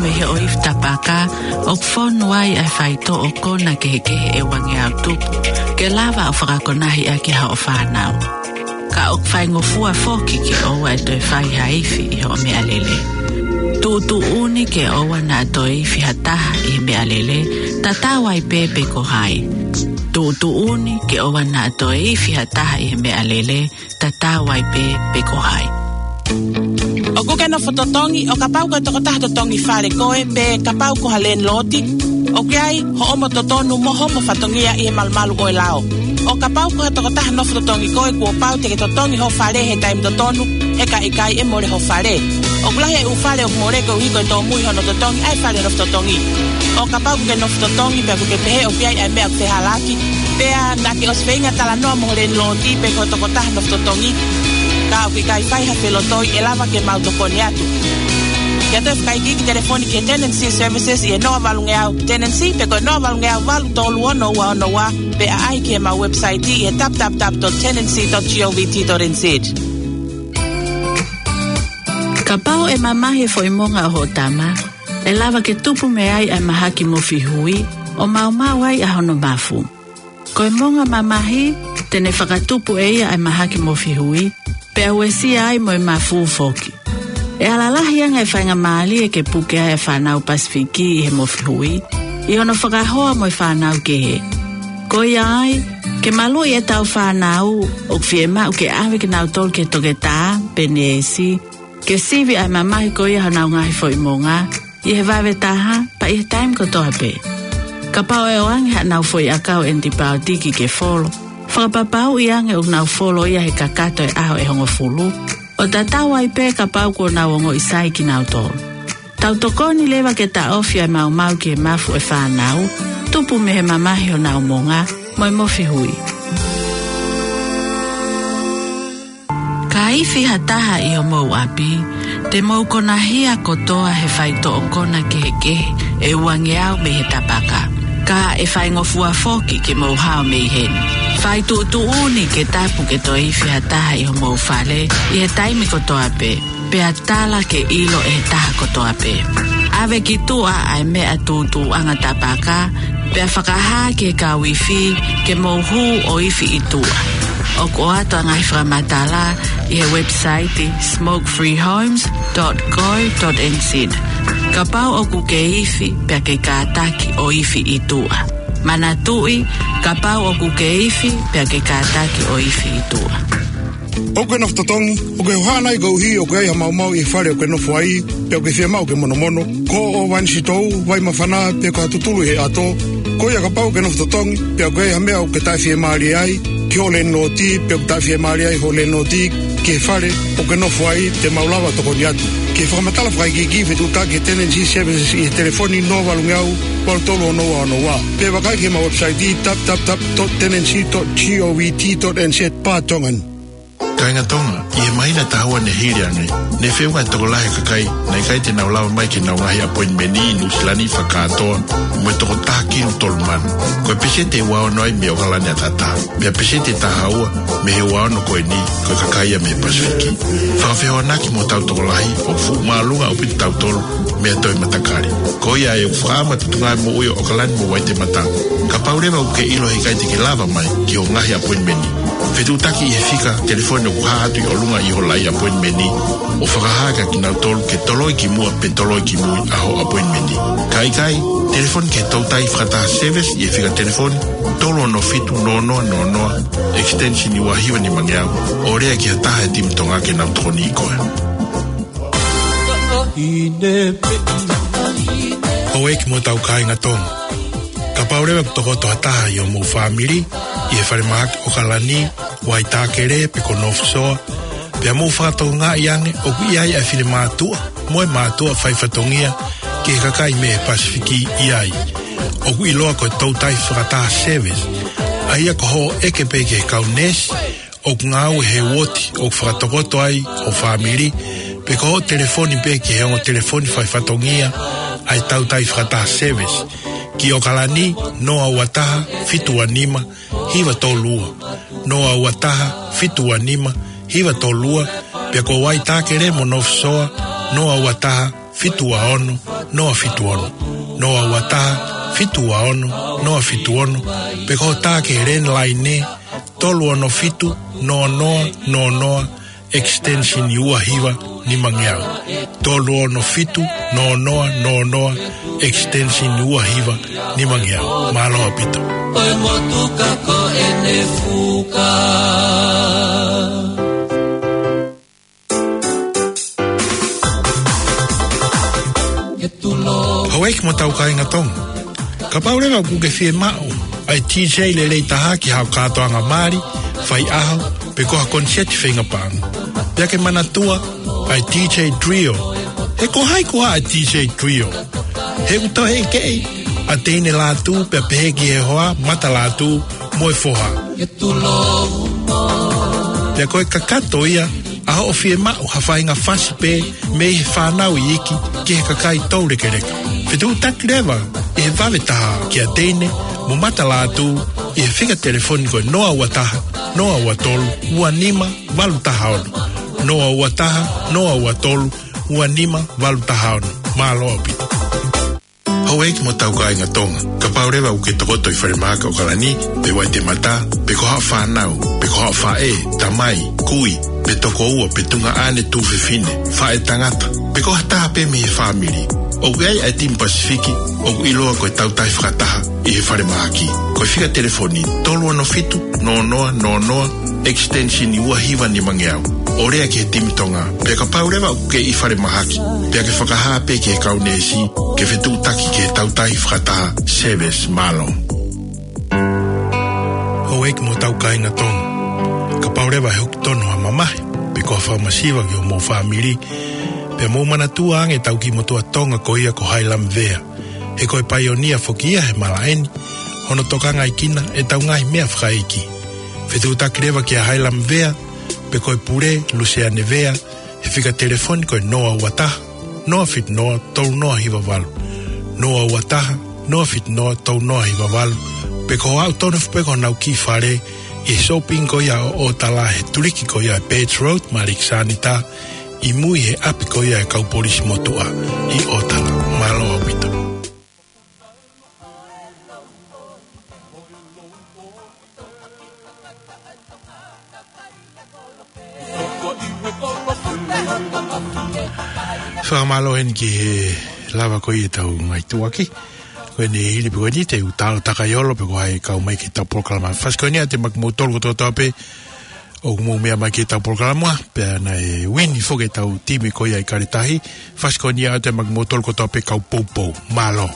mei he ʻoifi tapaka, ʻoku fonu ai ʻa e faitoʻo kona kehekehe ʻe uangeau tupu, ke lava ʻo fakakonahi ʻaki hoʻo fānau. Ka ʻoku faingofua foki ke ʻoua ʻe toe fai ha ifi ʻi hoʻo meʻalele. Tuʻutuʻuni ke ʻoua naʻa toe ifi ha taha ʻi he meʻalele, tatau ai pē pe ko hai. Tuʻutuʻuni ke ʻoua naʻa toe ifi ha taha ʻi he meʻalele, tatau ai pē pe ko hai. ʻOku ke nofo totongi, ʻo kapau ko e tokotaha totongi fale koe, pe kapau ko ha lēniloti, ʻoku ʻi ai hoʻomo totonu mo hoʻomo fatongia ʻi he malumalu ʻo e lao. ʻO kapau ko ha tokotaha nofo totongi koe, kuo pau te ke totongi ho fale he taimi totonu, he ka ʻikai ʻe mole ho fale. ʻOku lahi e ʻū fale ʻoku mole koeʻuhi ko e tōmui hono totongi ʻa e fale nofo totongi. ʻO kapau ʻoku ke nofo totongi pea ʻoku ke pehē ʻoku ʻi ai ʻa e meʻa ʻoku fehālaaki, pea naʻa ke ʻosi feinga talanoa mo ho lēniloti pe ko e tokotaha nofo totongi, ka ʻoku ʻikai fai ha felotoi, ʻe lava ke mau tokoni atu. Ke toe fakaikiiki, telefoni ki he Tenancy Services ʻi he noa valungeau Tenancy pe ko e noa valungeau valu tolu ono ua ono ua, pe ʻaʻahi ki heʻemau website ʻi he w w w dot tenancy dot govt dot n z. Kapau ʻe mamahi e foʻi monga ʻo hoʻo tama, ʻe lava ke tupu mei ai ʻa e mahaki mofi hui, ʻo maumau ai ʻa hono mafu. Ko e monga mamahi, te ne fakatupu ʻe ia ʻa e mahaki mofi hui, pea uesia ai mo e mafu foki. ʻE ala lahi ange e faingamālie ke puke ai e fānau Pasifiki ʻi he mofi hui, ʻi hono fakahoa mo e fānau kehe. Ko ia ai, ke maluʻi ʻetau fānau, ʻoku fiemaʻu ke ʻave kinautolu ki he toketā pe neesi, ke sivi ʻa e mamahi ko ia honau ngaahi foʻi monga, ʻi he vave taha, pea ʻi he taimi kotoa pē. Kapau ʻe ʻoange haʻanau foʻi ʻakau ʻenitipaotiki ke folo, fakapapauʻi ange ʻoku nau folo ia he kakato e ʻaho ʻe hongofulu, ʻo tatau ai pē kapau kuo nau ongoʻi sai kinautolu. Tau tokoni leva ke taʻofi ʻa e maumau ki he mafu ʻo e fānau, tupu mei he mamahi honau monga, mo e mofi hui. Ka ifi ha taha ʻi homou ʻapi, te mou konahia kotoa he faitoʻo kona kehekehe ʻe uangeau mei he tapaka. Ka ʻe faingofua foki ke mou hao mei heni. Fai tuʻutuʻuni ke tapu ke toe ifi ha taha ʻi homou fale ʻi he taimi kotoa pē, pea tala ke ʻilo ʻe he taha kotoa pē. ʻAve ki tuʻa ʻa e meʻa tūtuuʻanga tapaka, pea fakahā ki he kau ifi ke mou hū ʻo ifi ʻi tuʻa. ʻOku ʻoatu ʻa e ngaahi fakamatala ʻi he website smoke free homes dot co dot n z. Kapau ʻoku ke ifi, pea ke kātaki ʻo ifi ʻi tuʻa. Manatuʻi, kapau ʻoku ke ifi, pea ke kātaki ʻo ifi ʻi tuʻa. ʻOku ke nofo totongi, ʻoku ke hohaʻa nai koeʻuhi ʻoku ʻi ai ha maumau ʻi he fale ʻoku ke nofo ai, pea ʻoku ke fiemaʻu ke monomono? Ko hoʻo vānisitou, vai māfana, pe ko ha tutulu ʻi he ʻato? Ko ia, kapau ʻoku ke nofo totongi, pea ʻoku ʻi ai ha meʻa ʻoku ke taʻefiemālie ai ki hoʻo lēniloti, pe ʻoku taʻefiemālie ai hoʻo lēniloti ki he fale ʻoku ke nofo ai, te mau lava ʻo tokoni atu. Ki he fakamatala fakaikiiki, fetuʻutaki ki he Tenancy Services ʻi he telefoni noa valungeau valu tolu ono ua ono ua, pe vakai ki heʻemau website w w w dot tenancy dot govt dot n z barra Tongan. Kāinga Tonga, ʻi he māhina ʻe taha ua ne hili ange, ne feʻunga e tokolahi e kakai naʻe ʻikai te nau lava mai ki heʻenau ngaahi ʻapoinimeni ʻi Nuʻusila ni fakakātoa mo e toko taha kilu tolu mano. Ko e peseti ʻe ua ono ai mei ʻOkalani ʻAtatā, pea peseti ʻe taha ua mei he ua ono ko eni, ko e kakai ia mei he Pasifiki. Fakafehoanaki mo hotau tokolahi, ʻoku fuʻu māʻolunga ʻaupito kitautolu mei ha toe matakali. Ko ia ai ʻoku fakaʻamu atu e Tuʻunga Moʻui ʻo ʻOkalani mo Waitemata. Kapau leva ʻoku ke ʻilo he ʻikai te ke lava mai ki hoʻo ngaahi ʻapoinimeni, fetuʻutaki ʻi he fika telefoni ʻoku hā atu ʻi ʻolunga ʻi ho laʻi ʻapoinimeni, ʻo fakahā kia kinautolu ke toloi ki muʻa pe toloi ki mui ʻa hoʻo ʻapoinimeni. Ka ʻikai, telefoni ki he Toutai Fakataha Service ʻi he fika telefoni tolu ono fitu noa noa noa noa, extension ua hiva nima ngeau, ʻo lea ki ha taha he timi Tonga ke nau tokoniʻi koe. Houʻeiki mo hotau kāinga Tonga. Kapau leva ʻoku tokoto ha taha ʻi homou fāmili ʻi he falemahaki ʻOkalani, Waitākele pe ko North Shore, pea mou fakatokangaʻi ange ʻoku ʻi ai ʻa e finemātuʻa mo e mātuʻa faifatongia ki he kakai mei he Pasifiki ʻi ai, ʻoku ʻiloa ko e Toutai Fakataha Service, ʻa ia ko hoʻo ʻeke pē ki he kau neesi ʻoku ngāue he uooti ʻoku fakatokoto ai ho fāmili, pe ko hoʻo telefoni pē ki he ongo telefoni faifatongia ʻa e Toutai Fakataha Service, ki ʻOkalani, noa ua taha fitu ua nima hiva tolu ua, noa ua taha fitu ua nima hiva tolu ua, pea ko Waitākele mo North Shore, noa ua taha fitu ua ono, noa fitu ono, noa ua taha, fitu ua ono, noa fitu ono, pe ko hoʻo tā ki he landline, tolu ono fitu, noa noa noa noa, extension ua hiva nimangeau. Tolu ono fitu, noa noa noa noa, extension ua hiva nimangeau. Mālō ʻaupito. ʻOi motuka ko ʻene fuka. Houʻeiki mo e tau kāinga Tonga. Kapau leva ʻoku ke fiemaʻu ʻa e DJ lelei taha ki haʻo kātoanga mali, faiʻaho, pe ko ha koniseti feinga paʻanga. Pea ke manatua ʻa e DJ Trio. He ko hai koā ʻa e DJ Trio? He ʻoku toe ʻeke ʻa teine lātū pea pehē ki he hoa, mata lātū mo e foha. Pea ko e kakato ia ʻa hoʻo fiemaʻu ha faʻahinga fasi pē mei he fānau iiki ki he kakai toulekeleka. Fetuʻutaki leva ʻi he vave taha kia teine mo mata lātū ʻi he fika telefoni ko e noa ua taha, noa ua tolu, ua nima valu taha ono. Noa ua taha, noa ua tolu, ua nima valu taha ono. Mālō ʻaupito. Houʻeiki mo e tau kāinga Tonga. Kapau leva ʻoku ke tokoto ʻi falemahaki ʻAokalani, pe Waitemata, pe ko haʻo fānau, pe ko haʻo faʻē, tamai, kui, pe tokoua, pe tuongaʻane tuofefine, faʻētangata, pe ko ha taha pē mei he fāmili. ʻOku ʻi ai ʻa e timi Pasifiki ʻoku ʻiloa ko e Tautahi Fakataha ʻi he falemahaki. Ko e fika telefoni tolu ono fitu, noa noa noa noa, extension ua hiva nimangeau. ʻO lea ki he timi Tonga. Pea kapau leva ʻoku ke ʻi falemahaki, pea ke fakahā pē ki he kau neesi ke fetuʻutaki ki he Tautahi Fakataha Service. Mālō. Houʻeiki mo e tau kāinga Tonga. Kapau leva ʻe hoko tonu ha mamahi, pe ko ha fakamasiva ki homou fāmili, pea mou manatua ange ʻetau kiʻi motuʻa Tonga ko ia ko Hailama Vea. He ko e paionia foki ia he malaʻe ni, hono tokangaʻekina ʻetau ngaahi meʻa fakaʻeiki. Fetuʻutaki leva kia Hailama Vea, pe ko e pule, Luseane Vea, he fika telefoni ko e noa ua taha, noa fitu noa, tolu noa hiva valu. Noa ua taha, noa fitu noa, tolu noa hiva valu. Pe ko e aʻu tonu foki pē ki honau kiʻi fale, ʻi he shopping ko ia ʻo ʻOtala he tuliki ko ia ʻa e Birch Road, Malik Sanita, ʻi mui he ʻapi ko ia ʻa e kau polisi motuʻa ʻi ʻOtala. Mālō ʻaupito. Fakamālō heni ki he lava ko ia ʻetau ngaahi tuʻuaki. Ko eni hili pē ko eni te u talo takai olo pe ko hai kau mai ki heʻetau polokalama. Fasi ko eni ʻoatu maʻa kimoutolu kotoa pē ʻoku mou meʻa mai ki heʻetau polokalama, pea naʻe uini foki ʻetau timi ko ia ʻi Kaletahi. Fasi ko eni ʻoatu maʻa kimoutolu kotoa pē kau poupou. Mālō.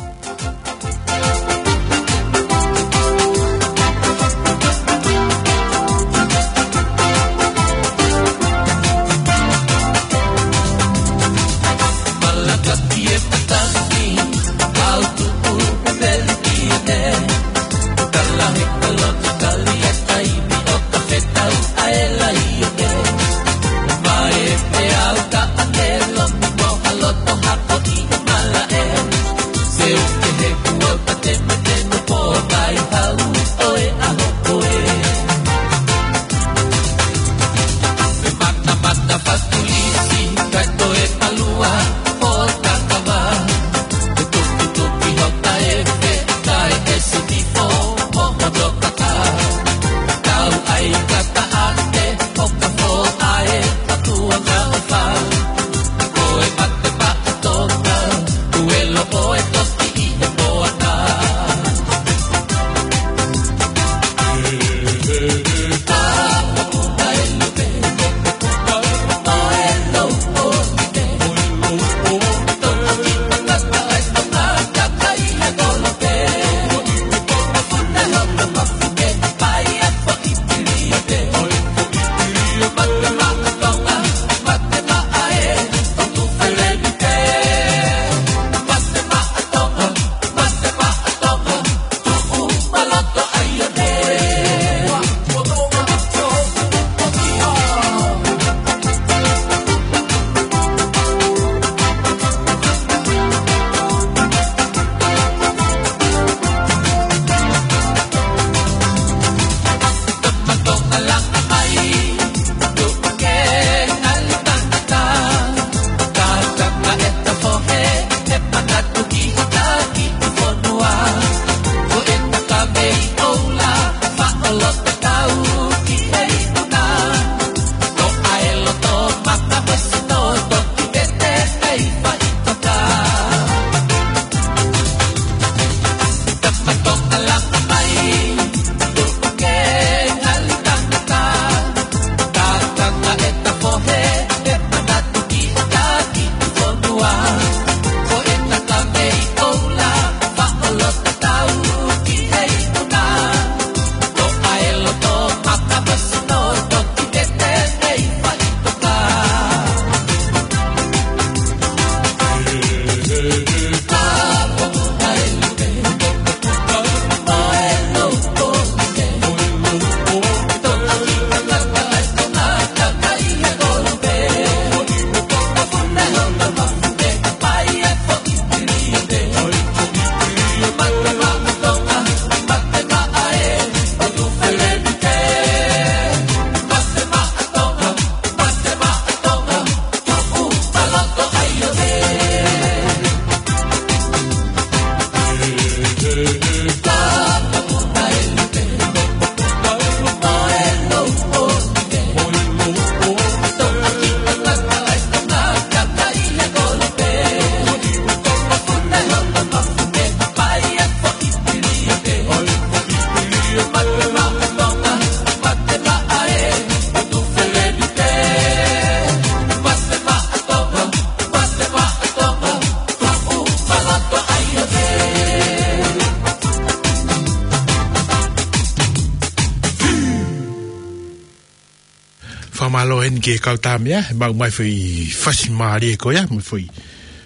Mālō heni ki he kau tā meʻa, he maʻu mai foʻi fasi mālie ko ia, mo e foʻi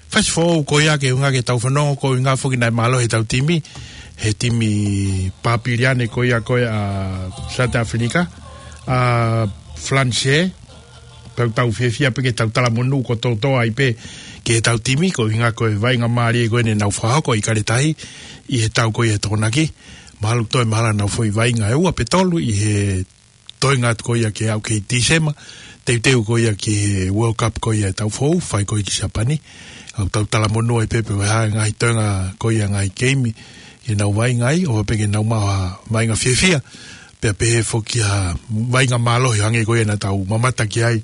fasi foʻou ko ia ke ʻuhinga ke tau fanongo, ko e ʻuhinga foki naʻe mālohi ʻetau timi, he timi Papiliane ko ia ko ia ʻa South Africa, ʻa Falanise, tau tau fiefia pē ke tau talamonū kotoa ai pē ki heʻetau timi, ko e ʻuhinga ko e vaʻinga mālie ko eni naʻa nau fakahoko ʻi Kaletahi, ʻi he tau ko ia ʻe Tokonaki, mahalo toe mahalo nau foʻi vaʻinga ʻe ua pe tolu ʻi he toenga atu ko ia ke aʻu ki Tīsema, teuteu ko ia ki he World Cup ko ia ʻe tau foʻou, fai ko ia ki Siapani. ʻOku tau talamonū ai pē pe ko e hā e ngaahi toenga ko ia ngaahi keimi ʻe nau vaʻinga ai, ʻo pē ke nau maʻu ha vaʻinga fiefia, pea pehē foki ha vaʻinga mālohi hangē ko ia naʻa tau mamata ki ai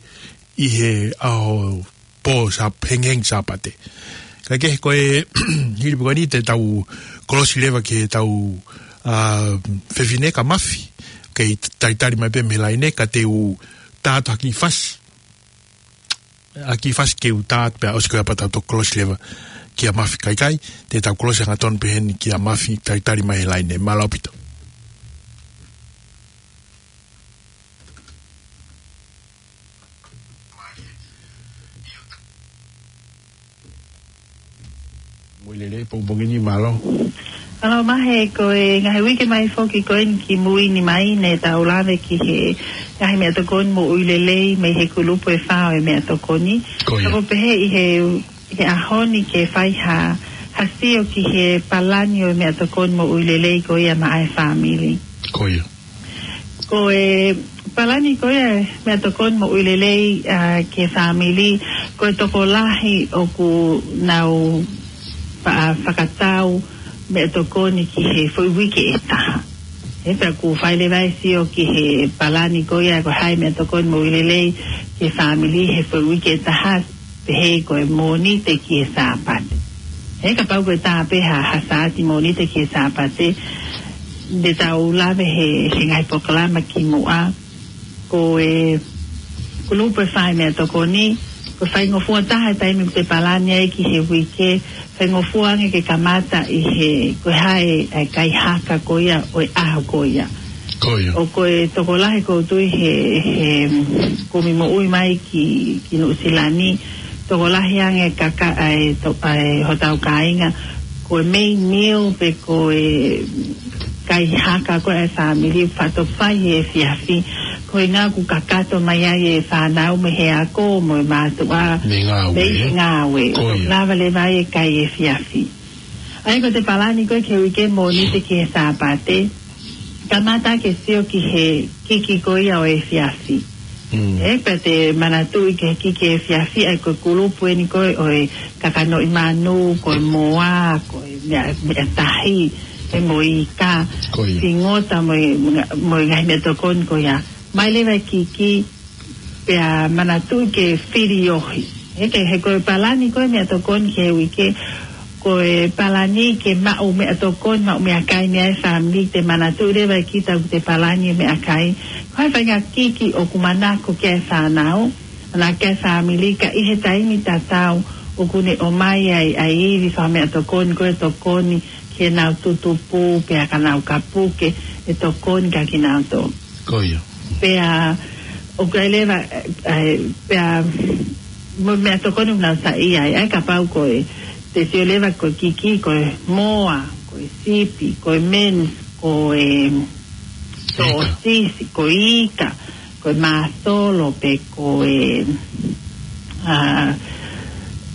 ʻi he ʻaho pō Sā-, hengiheni Sāpate. Ka ke ko e hili pē ko eni te tau kolosi leva ki heʻetau, ʻa, fefine kia Mafi. Kei talitali mai pē mei he laine ka te u tā atu ha kiʻi fasi. Ha kiʻi fasi ke u tā atu pea ʻosi ko ia pea tau toki kolosi leva kia Mafi. Kae ʻikai, te tau kolosi hangatonu pē heni kia Mafi talitali mai he laine. Mālō ʻaupito. Moʻui lelei, pongipongi ni, mālō. Mālō Mahe, ko e ngaahi uike mai foki ko eni ki mui ni mai, ne tau lave ki he ngaahi meʻatokoni moʻui lelei mei he kulupu ʻe fā ʻo e meʻatokoni. Ko ia. Ka ko e pehē ʻi he, he ʻaho ni ke fai ha, ha sio ki he palani ʻo e meʻatokoni moʻui lelei ko ia maʻa e fāmili. Ko ia. Ko e palani ko ia meʻatokoni moʻui lelei, ʻa, ki he fāmili, ko e tokolahi ʻoku nau fa-, fakatau meʻatokoni ki he foʻi uike ʻe taha. He pea ʻoku fai leva e sio ki he palani ko ia ko e hā e meʻatokoni moʻui lelei ki he fāmili he foʻi uike ʻe taha, pehē ko e Mōnite ki he Sāpate. He kapau ko e tā pē ha, ha Sāti, Mōnite ki he Sāpate, ne tau lave he, he ngaahi polokalama kimuʻa, ko e kulupu ʻe fā ʻo e meʻatokoni, ko e faingofua taha e taimi ʻoku te palani ai ki he uike, faingofua ange ke kamata ʻi he, ko e hā e, e kai haka ko ia ʻo e ʻaho ko ia. Ko ia. ʻO ko e tokolahi ʻoku ou tui he, he kumi moʻui mai ki, ki Nuʻusila ni, tokolahi ange kaka-, ʻa e to-, ʻa e hotau kāinga, ko e main meal pe ko e kai haka ko e fāmili faʻa toki fai he efiafi. Ko e ʻuhinga ʻoku kakato mai ai e fānau mei he ako mo e mātuʻa mei he ngāue. Mei he ngāue. Ko ia. Lava leva ai e kai efiafi. ʻA ia ko e palani ko ē ki he uike Mōnite ki he Sāpate, kamata ke sio ki he kiki ko ia ʻo e efiafi. Mm. He pea te manatuʻi ki he kiki efiafi, ʻa ia ko e kulupu eni ko ē ʻo e kakanoʻi manu, ko e moa, ko e meʻa, meʻa tahi, he mo e ika, ko ia, fingota mo e, mo e ngaahi meʻatokoni ko ia. Mai leva e kiki, pea manatuʻi ke fili ohi. He ke, he ko e palani ko e meʻatokoni ki he uike, ko e palani ke maʻu meʻatokoni, maʻu meʻakai mei he fāmili, te manatuʻi leva ʻe kita ʻoku te palani e meʻakai. Ko e faʻahinga kiki ʻoku manako ki ai e fānau, manako ki ai e fāmili, ka ʻi he taimi tatau ʻoku ne ʻomai ai, ʻa e ivi fakameʻatokoni, ko e tokoni, ke nau tutupu, pea ka nau kapuke, ʻe tokoni kia kinautolu. Ko ia. Pea, ʻoku ʻi ai leva, ʻe, pea, mo e meʻatokoni ʻoku nau saiʻia ai, ʻa ia kapau ko e, te sio leva ko e kiki, ko e moa, ko e sipi, ko e mince, ko e, ika, sōsisi, ko e ika, ko e māsolo, pe ko e, ʻa,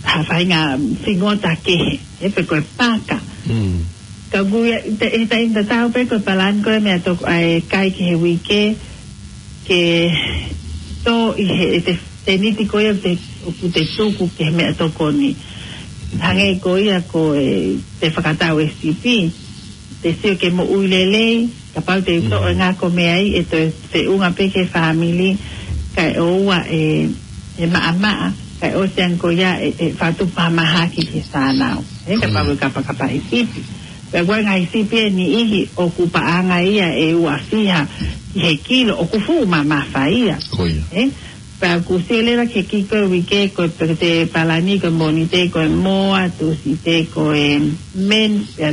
ha faʻahinga fingota kehe, he pe ko e paka. Mm. Ka ʻoku ʻi ai, te, he taimi tatau pē ko e palani ko e meʻatokoni, ʻa e kai ki he uike, ke tō ʻi he, ʻe te, seniti ko ia te, ʻoku te tuku ki he meʻatokoni. Hangē ko ia ko e, te fakatau e sipi, te sio ki he moʻui lelei, kapau te u toʻo e ngako mei ai, ʻe toe feʻunga pē ki he fāmili, kae ʻoua ʻe, ʻe maʻamaʻa, kae ʻosi ange ko ia ʻe, ʻe fakatupu ha mahaki ki he fānau. He kapau ʻe kapakapa e sipi. Pea ko e ngaahi sipi ʻe niʻihi ʻoku paʻanga ia ʻe ua fiha ki he kilo, ʻoku fuʻu mamafa ia. Ko ia. He? Pea ʻoku sio leva ki he kiki ko e uike, ko e peke te palani, ko e Mōnite, ko e moa, Tūsite, ko e mince, pea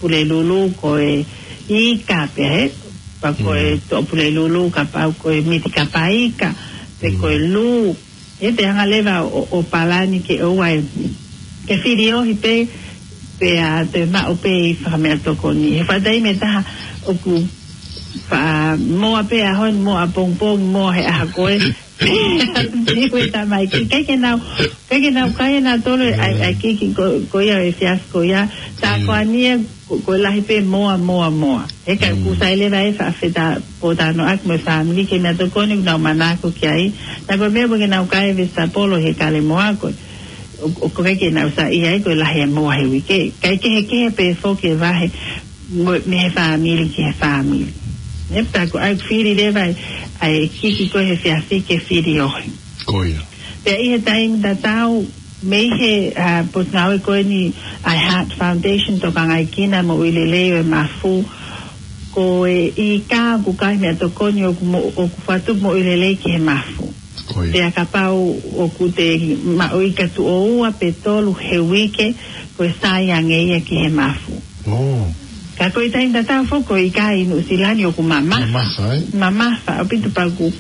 Pulelulu, ko e ika pea he, pea ko e, mm, toʻo Pulelulu, kapau ko e miti kapa ika, pe ko e lū, ʻe te hanga leva ʻo, ʻo palani ke ʻoua ʻe, ke filiohi pē, pea te maʻu pē ʻi fakameʻatokoni. He faʻa taimi ʻe taha ʻoku faʻa moa pē ʻaho ni, moa pongipongi, moa he ʻaho ko ē. Niu e tamaiki, ʻikai ke nau, ʻikai ke nau kai ʻe nautolu ʻa e, ʻa e kiki ko, ko ia ʻo e efiafi ko ia. Tā ko eni ē, ko, ko e lahi pē moa, moa, moa. He ka ʻoku sai leva ʻe faʻa fetapotanoʻaki mo e fāmili ki he meʻatokoni ʻoku nau manako ki ai. Naʻa ko e meʻa ʻoku ʻikai ke nau kai e vesitapolo he kale moa ko ē. ʻO, ʻoku ʻikai ke nau saiʻia ai ko e lahi e moa he uike. Kae kehekehe pē foki e vahe mo, mei he fāmili ki he fāmili. Nepa tā ko ʻai fili leva ʻa e, ʻa e kiki ko ē he efiafi ke filiohi. Ko ia. Pea ʻi he taimi tatau, mei he, ʻa, potungāue ko eni ʻa e Heart Foundation, tokangaʻi kinaua e moʻui lelei ʻo e mafu, ko e ika ʻoku kai meʻatokoni ʻoku mo-, ʻoku fakatupu moʻui lelei ki he mafu. Ko ia. Pea kapau ʻoku te maʻu ika tuʻo ua pe tolu he uike, ko e sai ange ia ki he mafu. Ka ko e taimi tatau foki ko e ika ʻi Nuʻusila ni ʻoku mamafa. Mamafa, ē? Mamafa, ʻaupito pea ʻoku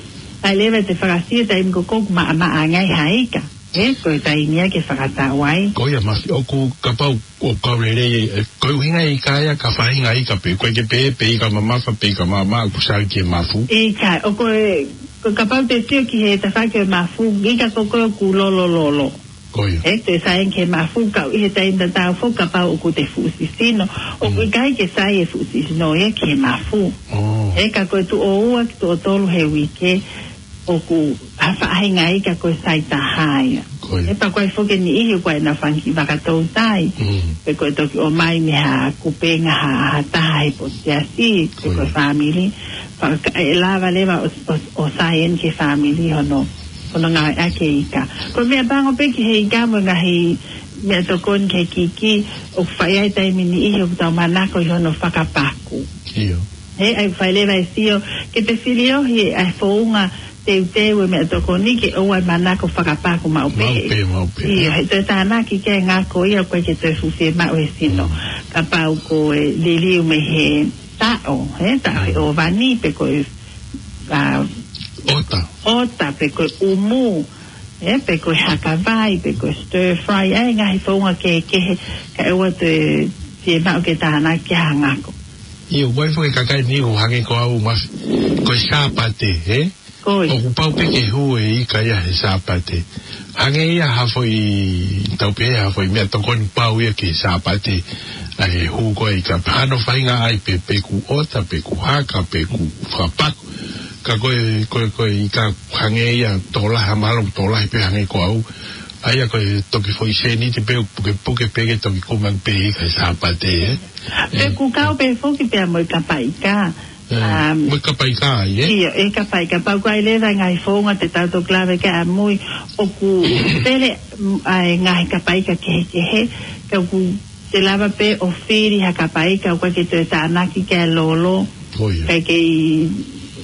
ʻai leva ʻete fakasio taimi ko ē ʻoku maʻamaʻa ange ai ha ika. Ē, ko e taimi ia ke fakatau ai. Ko ia Mafi, ʻoku kapau ʻoku kau lelei, ē, ko e ʻuhinga e ika ia ka faʻahinga ika pē, ʻoku ʻikai ke pehē pe ika mamafa pe ika maʻamaʻa ʻoku sai ki he mafu. ʻIkai, ʻo ko e, ko e kapau te sio ki he tafaʻaki ʻo e mafu, ika ko ē ʻoku lolololo. Ko ia. Ē, te sai ki he mafu, ka ʻi he taimi tatau foki kapau ʻoku te fuʻu sisino, ʻoku ʻikai ke sai e fuʻu sisino ia ki he mafu. Ē, ka ko e tuʻo ua ki tuʻo tolu he uike, ʻoku ha faʻahinga ika ko e sai taha ia. Ko ia. Ē, pea ko e foki e niʻihi ʻoku ʻi ai ʻenau fanga kiʻi vakatoutai. Pe ko e toki ʻomai mei ha kupenga ha, ha taha he potu siasi, pe ko e fāmili. Pea ka ʻe lava leva ʻo, ʻo, ʻo sai eni ki he fāmili hono, hono ngāueʻaki e ika. Ko e meʻapango pē ki he ika mo e ngaahi meʻatokoni ki he kiki, ʻoku fai ai taimi niʻihi ʻoku tau manako ʻi hono fakapaku. ʻIo. He ʻai fai leva e sio, ke te filiohi ʻa e founga teuteu e meʻatokoni ke ʻoua ʻe manako fakapaku maʻu pē. Maʻu pē, maʻu pē. ʻIo, he toe tānaki ke ngako ia ʻoku ʻikai ke toe fuʻu fiemaʻu he sino. Kapau ko e liliu mei he taʻo, he taʻo he ʻōvani pe ko e, ʻa, ʻota. ʻOta pe ko e ʻumu, ē, pe ko e haka vai, pe ko e stir fry, ʻa e ngaahi founga kehekehe, kae ʻoua toe fiemaʻu ke tānaki ha ngako. ʻIo, ʻoku ʻi ai foki e kakai ni ʻoku hangē ko au Mafi, ko e Sāpate, ē? Ko ia. ʻOku pau pē ke hū e ika ia he Sāpate. Hangē ia ha foʻi, tau pehē ha foʻi meʻatokoni pau ia ki he Sāpate. ʻA e hū ko ē ika, hano faʻahinga ʻai pē, pe ʻoku ʻota, pe ʻoku haka, pe ʻoku fakapaku. Ka ko e, ko e, ko e ika hangē ia tokolahi, mahalo tokolahi pē hangē ko au. ʻA ia ko e toki foʻi sēniti pē, pukepuke pē ke toki kumaki pē ika he Sāpate, ē? Pe ʻoku kau pē foki pea mo e kapa ika. Ē, mo e kapa ika ai, ē? ʻIo, e kapa ika, pea ʻoku ʻi ai leva e ngaahi founga te tau toki lave ki ai ʻamui, ʻoku pele, mm, ʻa e ngaahi kapa ika kehekehe, ka ʻoku te lava pē ʻo fili ha kapa ika ʻoku ʻikai ke toe tānaki ke lolo. Ko ia. Kae kei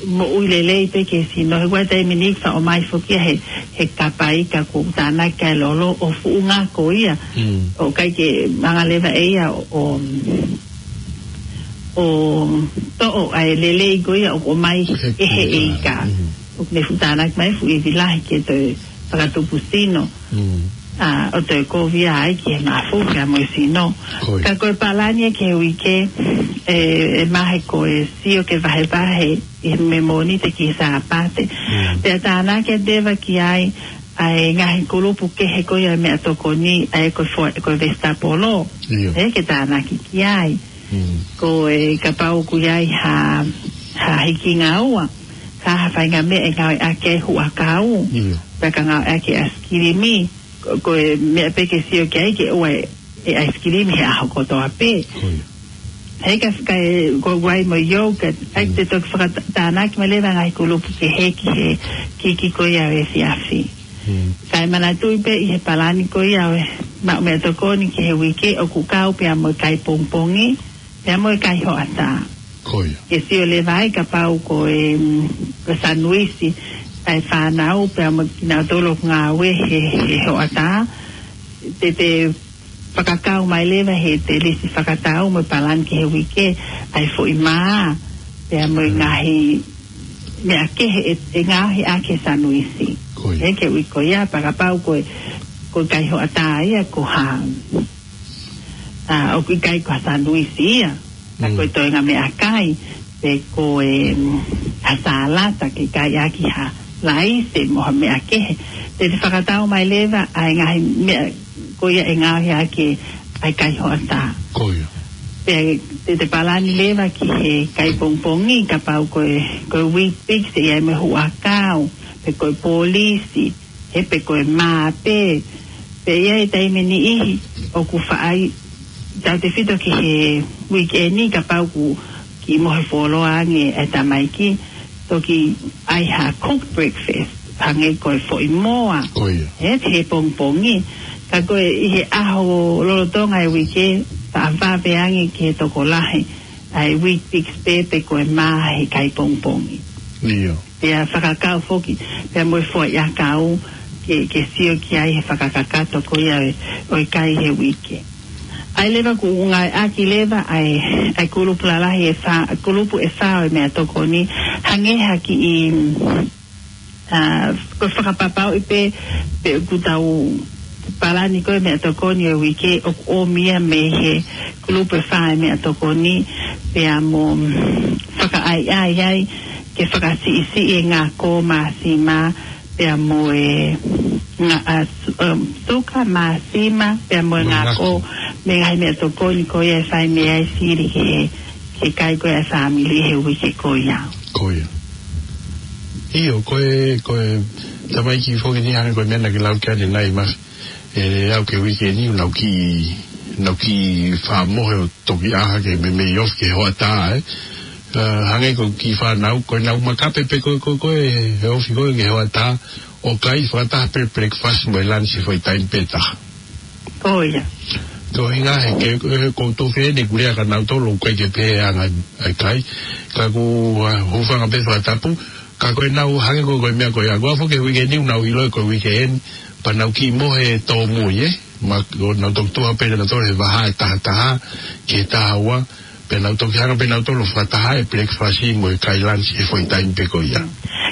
moʻui lelei pē ki he sino. He ʻoku ʻi ai e taimi ni ʻoku faʻa ʻomai foki ia he, he kapa ika ʻoku tānaki ke lolo ʻo fuʻu ngako ia. ʻOku ʻikai ke hanga leva ʻe ia ʻo, ʻo toʻo ʻa e lelei ko ia ʻoku ʻomai ʻe he ika. ʻOku ne fuʻu tānaki mai fuʻu ivi lahi ke toe fakatupu sino. ʻA, ʻo toe kovi ai ki he mafu pea mo e sino. Ka ko e palani ē ki he uike, ē, ʻe mahe ko e sio ke vahevahe ʻi he Mōnite ki he Sāpate. Pea tānaki atu leva ki ai ʻa e ngaahi kulupu kehe ko ia meʻatokoni, ʻa e ko e fo-, ko e vesitapolo. ʻIo. Ē, ke tānaki ki ai. Ko e kapau ʻoku ʻi ai ha, ha hikingaua, ka ha faʻahinga meʻa ʻe ngāueʻaki e huʻakau, pe ka ngāueʻaki e ʻaisikilimi, ko, ko e meʻa pē ke sio ki ai ke ʻoua ʻe ʻaisikilimi he ʻaho kotoa pē. He ka, ka ʻe, ko e vai mo e yogurt, ʻai te toki fakatānaki mai leva ngaahi kulupu kehe ki he kiki ko ia ʻo e efiafi. Kae manatuʻi pē ʻi he palani ko ia ʻo e maʻu meʻatokoni ki he uike ʻoku kau pea mo e kai pongipongi, pea mo e kai hoʻatā. Ko ia. Ke sio leva ai kapau ko e, mm, ko e sanuisi ʻa e fānau pea mo kinautolu ʻoku ngāue he, he hoʻatā. Te te fakakau mai leva he te lisi fakatau mo e palani ki he uike ʻa e foʻi mā, pea mo e ngaahi meʻa kehe ʻe, ʻe ngaohi ʻaki e sanuisi. Ko ia. He ko e uike ko ia, pea kapau ko e, ko e kai hoʻatā ia ko ha, ʻa, ʻoku ʻikai ko ha sanuisi ia. Ka ko e Mm. toenga meʻakai, pe ko e, mm, ha salata ke kai ʻaki ha laise mo ha meʻa kehe. Te te fakatau mai leva ʻa e ngaahi meʻa ko ia ʻe ngaohi ʻaki ʻa e kai hoʻatā. Ko ia. Pea te te palani leva ki he kai pongipongi, kapau ko e, ko e Weet-Bix, ʻe ʻi ai mo e huʻakau, pe ko e polisi, he pe ko e māpē. Pea ʻi ai e taimi ʻe niʻihi ʻoku faʻa ʻi, tautefito ki he uike ni, kapau ʻoku kiʻi mohe fuoloa ange e tamaiki, toki ʻai ha cooked breakfast, hangē ko e foʻi moa. Ko ia. He, he pongipongi. Ka ko e ʻi he ʻaho lolotonga e uike, faʻa vave ange ki he tokolahi ʻa e Weet-Bix pē pe ko e mā he kai pongipongi. ʻIo. Pea fakakau foki, pea mo e foʻi ʻakau ke, ke sio ki ai he fakakakato ko ia ʻo e, ʻo e kai he uike. ʻA ia leva ʻoku ngāueʻaki leva ʻa e, ʻa e kulupu lalahi ʻe fā, kulupu ʻe fā ʻo e meʻatokoni, hangē ha kiʻi, ʻa, ko e fakapapauʻi pē, pe ʻoku tau palani ko e meʻatokoni ʻo e uike ʻoku ʻomi ia mei he kulupu ʻe fā ʻo e meʻatokoni, pea mo, mm, fakaʻaiʻai ai ke fakasiʻisiʻi e ngako, māsima, pea mo e nga-, ʻa, su-, um, suka, māsima, pea mo e Mo e ngako, ngako. Mei he ngaahi meʻatokoni ko ia ʻe fai mei ai sili ki he, ki he kai ko ia ʻa e fāmili he uike ko ia. Ko ia. ʻIo, ko e, ko e tamaiki foki ni hangē ko e meʻa naʻa ke lau ki ai ʻanenai, Mafi. ʻE aʻu ki he uike ni, nau kiʻi, nau kiʻi faʻa mohe ʻo toki ʻā hake meimei ofi ki he hoʻatā, ē. ʻA, hangē ko e kiʻi fānau, ko ʻenau makape pē ko, ko, ko e, he ofi ko ē ki he hoʻatā, ʻo kai fakataha pē breakfast mo e lunch he foʻi taimi pē taha. Ko ia. Ko e ʻuhinga he ke, he ko e tofiʻe ni kulia ka nau tolo kai ke pē anga ai kai. Ka ko, ʻa, hūfanga pē fakatapu, ka ko ʻenau hangē ko, ko e meʻa ko ia. Ko e aʻu foki ki he uike ni, nau ʻilo ko e uike eni, pea nau kiʻi mohe tōmui, ē. Ma, ʻo nau toki tuʻu pē nautolu he vahaʻa ʻe taha taha, ki he taha ua, pea nau toki hanga pē nautolu ʻo fakataha e breakfast mo e kai lunch he foʻi taimi pē ko ia.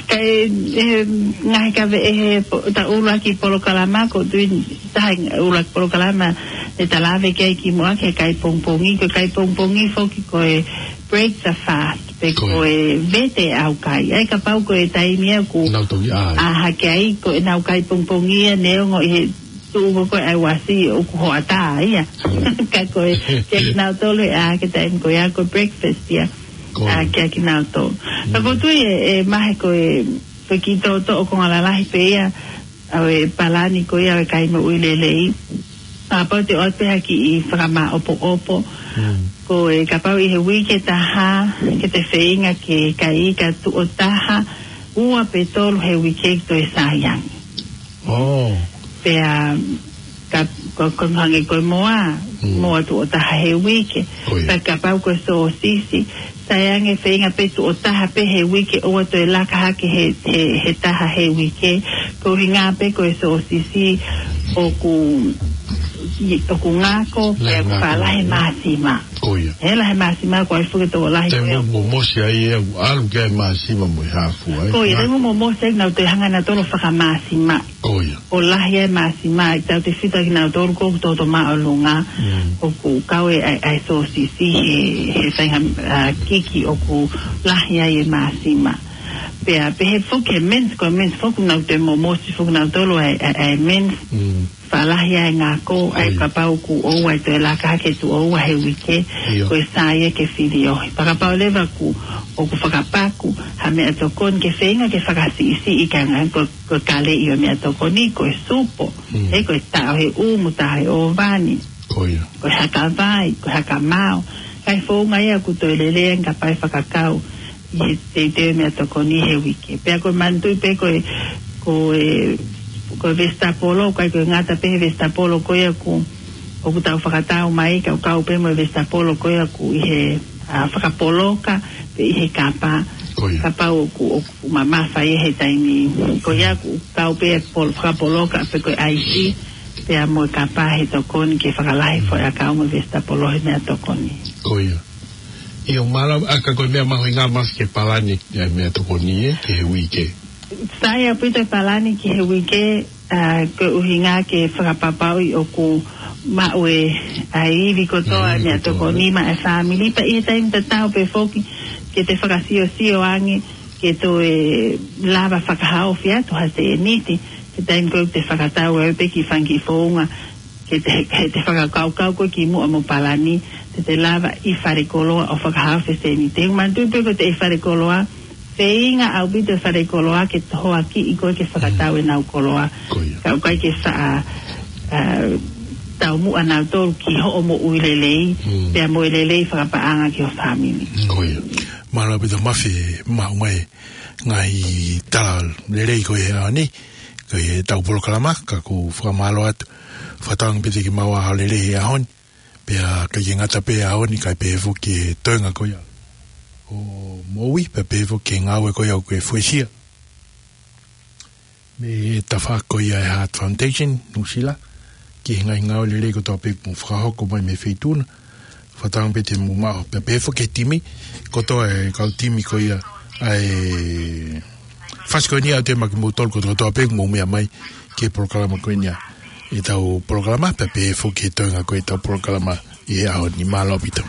Ka e, e, ngaahi kave ʻe he po-, ta ʻuluaki polokalama ko tui taha ʻuluaki polokalama ʻe ta lave ki ai kimuʻa ki he kai pongipongi, ko e kai pongipongi foki ko e break the fast, pe Ko e. ko e vete ʻaukai. ʻA ia kapau ko e taimi ia ʻoku Nau toki ʻā. ʻā hake ai, ko ʻenau kai pongipongi ia neongo ʻi he tuʻu ko ē ʻa e uasi ʻoku hoʻatā ia. Ka ko e, kiate kinautolu ʻe ʻā hake taimi ko ia ko e breakfast ia. Ko e. ʻA, kiate kinautolu. Ka ko Mm. tui ʻe, ʻe mahe ko e, ko e kiʻi toʻotoʻo konga lalahi pē ia, ʻa e palani ko ia ʻa e kai moʻui lelei. ʻA, pau te ʻoatu pē ha kiʻi fakamāʻopoʻopo. Mm. Ko e kapau ʻi he uike ʻe taha, ke te feinga ke kai ika tuʻo taha, ua pe tolu he uike ke toe sai ange. Oh. Pea, ka, ko, ko hangē ko e moa, Mm. moa tuʻo taha he uike. Ko ia. Pea kapau ko e sōsisi, sai ange feinga pē tuʻo taha pē he uike ʻoua toe laka hake he, he, he taha he uike. Ko e ʻuhinga pē ko e sōsisi ʻoku, ʻoku ngako, Lahi pea ʻoku ngako. faʻa lahi māsima. Ko ia. He lahi māsima ko e fuke tokolahi Te ko ia. mo, mo mosi ai e ʻalu ki ai māsima mo e hāfua, ē. Ko ia, Ngako. te mo, mo mosi ai nau toe hanga nautolu ʻo fakamāsima. Ko ia. ʻO lahi ai māsima, ʻe tautefito kinautolu ko ē ʻoku toutou māʻolunga, Mm. ʻoku kau e, ʻa e, ʻa e sōsisi he, he faʻahinga, ʻa, kiki ʻoku lahi ai e māsima. Pea, pehē foki e mince, ko e mince foki nau toe mo, mosi foki nautolu ʻa e, ʻa e, ʻa e mince. Mm. Faʻa lahi ai e ngako, ʻa ia Oi. kapau ʻoku ʻoua ʻe toe laka hake tuʻo ua he uike, Ia. ko e sai ia ke fili ohi. Pea kapau leva ʻoku, ʻoku fakapaku ha meʻatokoni ke feinga ke fakasiʻisiʻi ka ngā ko, ko e kaleʻi ʻo e meʻatokoni, ko e supo, Mm. he ko e taʻo he ʻumu, taʻo he ʻōvani, Ko ia. ko e haka vai, ko e haka mao. Kae founga ia ʻoku toe lelei ange kapau ʻe fakakau ʻi he teuteu meʻatokoni he uike. Pea ko e manatuʻi pē ko e, ko e, ko e vesitapolo, ʻikai ko e ngata pē he vesitapolo ko ia ʻoku, ʻoku tau fakatau mai, ka ʻoku kau pē mo e vesitapolo ko ia ʻoku ʻi he, ʻa, fakapoloka, pe ʻi he kapa, Ko ia. kapau ʻoku, ʻoku mamafa ia he taimi. Ko ia ʻoku kau pē pol-, fakapoloka, pe ko e ʻaisi, pea mo e kapa he tokoni ke fakalahi foʻi ʻakau mo e vesitapolo he meʻatokoni. Ko ia. ʻIo, mālō, ʻa, ka ko e meʻa mahuʻinga ʻaupito ke palani e meʻatokoni, ē, ki he uike. Sai ʻaupito e palani ki he uike, ʻa, ko e ʻuhinga ke fakapapauʻi ʻoku maʻu ʻe he ivi kotoa e meʻatokoni maʻa e fāmili, pea ʻi he taimi tatau pē foki ke te fakasiosio ange ke toe lava fakahaofi atu ha sēniti, he taimi ko ē te fakatau ai pē ki he fanga kiʻi founga, ke te, ke te fakakaukau koe kimuʻa mo palani, te te lava ʻi falekoloa ʻo fakahaofi e sēniti. Te u manatuʻi pē ko e ʻi falekoloa, feinga ʻaupito e falekoloa ke tohoakiʻi koe ke fakatau ʻenau koloa. Ko ia. Ka ʻoku ʻikai ke faʻa, ʻa, taumuʻa nautolu ki hoʻo moʻui lelei, pea mo e lelei fakapaʻanga ki ho fāmili. Ko ia. Mālō ʻaupito Mafi, maʻu mai ngaahi tala lelei ko ē he ʻaho ni, ko ʻetau polokalama, ka ʻoku ou fakamālō atu. Fakatauange pē te ke maʻu ʻa e lelei he ʻaho ni. Pea ʻikai ke ngata pē he ʻaho ni, kae pehē foki e toenga ko ia ʻo e moʻui, pea pehē foki e ngāue ko ia ʻoku ke fuesia mei he tafaʻaki ko ia e Heart Foundation, Nuʻusila, ki he ngaahi ngāue lelei kotoa pē ʻoku mou fakahoko mai mei he feituʻu na. Fakatauange pē te mou maʻu, pea pehē foki e timi, kotoa e kau timi ko ia ʻa e fasi ko eni ʻa e temaki mo tolu kotoa pē ʻoku mou meʻa mai ki he polokalama ko eni ʻa ʻetau polokalama, pea pehē foki e toenga ko ē ʻetau polokalama ʻi he ʻaho ni. Mālō ʻaupito.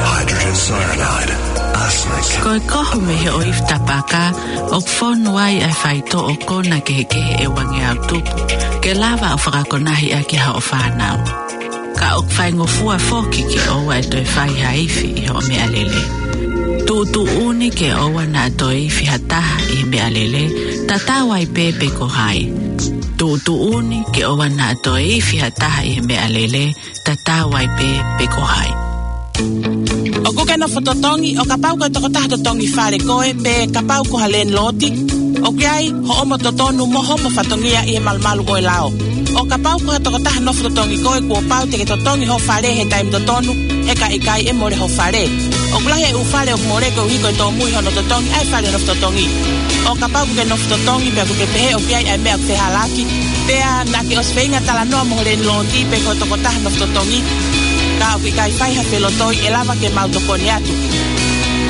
Hydrogen cyanide, arsenic. Ko e kohu mei he ʻoifi tapaka, ʻoku fonu ai ʻa e faitoʻo kona kehekehe ʻe uangeau tupu, ke lava ʻo fakakonahi ʻaki haʻo fānau. Ka ʻoku faingofua foki ke ʻoua ʻe toe fai ha ifi ʻi hoʻo meʻalele. Tuʻutuʻuni ke ʻoua naʻa toe ifi ha taha ʻi he meʻalele, tatau ai pē pe ko hai. Tuʻutuʻuni ke ʻoua naʻa toe ifi ha taha ʻi he meʻalele, tatau ai pē pe ko hai. ʻOkú ke nofo totongi, ʻo kapau ko e tokotaha totongi fale koe, pe kapau ko ha landlord, ʻoku ʻi ai hoʻomo totonu mo hoʻomo fatongia ʻi he malumalu ʻo e lao. ʻO kapau ko ha tokotaha nofo totongi koe, kuo pau te ke totongi hoʻo fale he taimi totonu, he ka ʻikai ʻe mole hoʻo fale. ʻOku lahi e ʻū fale ʻoku mole koeʻuhi ko e tōmui hono totongi ʻa e fale nofo totongi. ʻO kapau ʻokú ke nofo totongi pea ʻokú ke pehē ʻoku ʻi ai ʻa e meʻa ʻoku fehālaaki, pea naʻá ke ʻosi feinga talanoa mo ho landlord pe ko e tokotaha nofo totongi, ka ʻoku ʻikai fai ha felotoi, ʻe lava ke mau tokoni atu.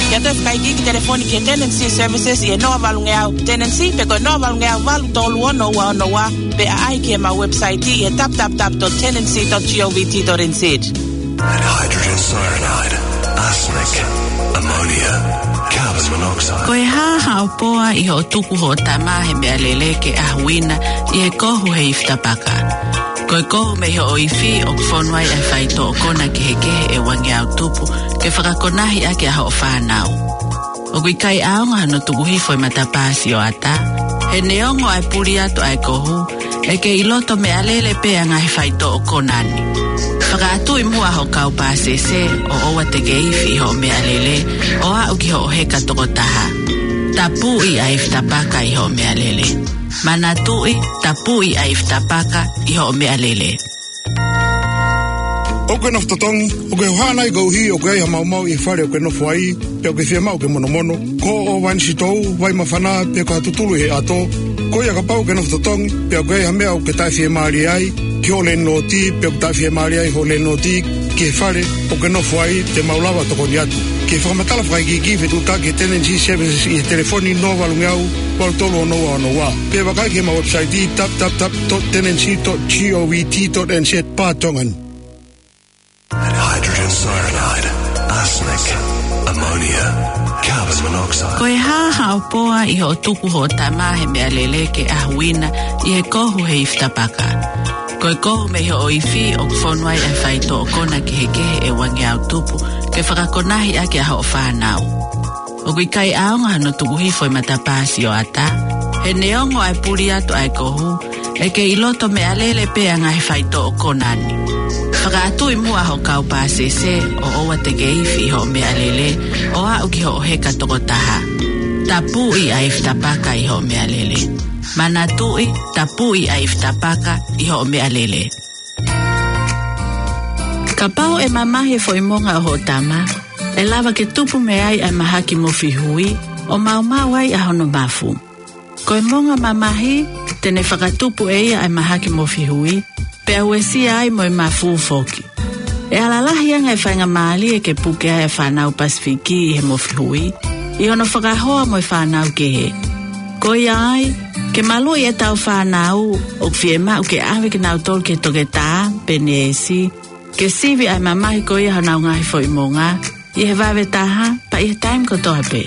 Ke ʻoatu e fakaikiiki, telefoni ki he Tenancy Services ʻi he noa valungeau tenancy pe ko e noa valungeau valu tolu ono ua ono ua, pe ʻaʻahi ki heʻemau website ʻi he www dot tenancy dot govt dot nz. Hydrogen cyanide, arsenic, ammonia, carbon monoxide. Ko e hā haʻo poa ʻi hoʻo tuku hoʻo tama he meʻalele ke ʻahuina ʻi he kohu he ifi tapaka? Ko e kohu mei hoʻo ifi ʻoku fonu ai ʻa e faitoʻo kona kehekehe ʻe uangeau tupu ke fakakonahi ʻaki ʻa hoʻo fānau. ʻOku ʻikai ʻaonga hono tuku hifo e matapā sioʻata. He neongo ʻa e puli atu ʻa e kohu, ʻe kei ʻi loto meʻalele pē ʻa e ngaahi faitoʻo kona ni. Fakaʻatuʻi muʻa hoʻo kau pāsese ʻo ʻoua te ke ifi ʻi hoʻo meʻalele ʻo aʻu ki hoʻo heka toko taha. Tapuʻi ʻa e ifi tapaka ʻi hoʻo meʻalele. Manatuʻi, tapuʻi ʻa e ifi tapaka ʻi hoʻo meʻalele. ʻOkú ke nofo totongi, ʻokú ke hohaʻa nai koeʻuhi ʻoku ʻi ai ha maumau ʻi he fale ʻokú ke nofo aí, pe ʻokú ke fiemaʻu ke monomono, koʻo, vainisitou, vai māfana, pe ko ha tutulu ʻi he ʻato? Ko ia, kapau ʻokú ke nofo totongi, pe ʻoku ʻi ai ha meʻa ʻokú ke taʻefiemālie ai ki ho landlord, pe ʻoku taʻefiemālie ai ho landlord ki he fale ʻokú ke nofo aí, te mau lava ʻo tokoni atu. Ke fakamatala fakaikiiki, fetuʻutaki ki he Tenancy Services ʻi he telefoni noa valungeau valu tolu ono ua ono ua. Pe vakai ki heʻemau website www dot tenancy dot govt dot nz barra Tongan. Hydrogen cyanide, arsenic, ammonia, carbon monoxide. Ko e hā haʻo poa ʻi hoʻo tuku hoʻo tama he meʻalele ke ʻahuina ʻi he kohu he ifi tapaka? Ko e kohu mei hoʻo ifi ʻoku fonu ai ʻa e faitoʻo kona kehekehe ʻe uangeau tupu ke fakakonahi ʻaki ʻa hoʻo fānau. ʻOku ʻikai ʻaonga hono tuku hifo e matapā sioʻata. He neongo ʻa e puli atu ʻa e kohu, ʻe kei ʻi loto meʻalele pē ʻa e ngaahi faitoʻo kona ni. Fakaʻatuʻi muʻa hoʻo kau pāsese ʻo ʻoua te ke ifi ʻi hoʻo meʻalele ʻo aʻu ki hoʻo heka toko taha. Tapuʻi ʻa e ifi tapaka ʻi hoʻo meʻalele. Manatuʻi, tapuʻi ʻa e ifi tapaka ʻi hoʻo meʻalele. Kapau ʻe mamahi e foʻi monga ʻo hoʻo tama, ʻe lava ke tupu mei ai ʻa e mahaki mofi hui, ʻo maumau ai ʻa hono mafu. Ko e monga mamahi, te ne fakatupu ʻe ia ʻa e mahaki mofi hui, pea uesia ai mo e mafu foki. ʻE ala lahi ange e faingamālie ke puke ai ʻa e fānau Pasifiki ʻi he mofi hui, ʻi hono fakahoa mo e fānau kehe. Ko ia ai, ke maluʻi ʻetau fānau, ʻoku fiemaʻu ke ʻave kinautolu ki he toketā pe neesi, ke sivi ʻa e mamahi ko ia honau ngaahi foʻi monga, ʻi he vave taha, pea ʻi he taimi kotoa pē.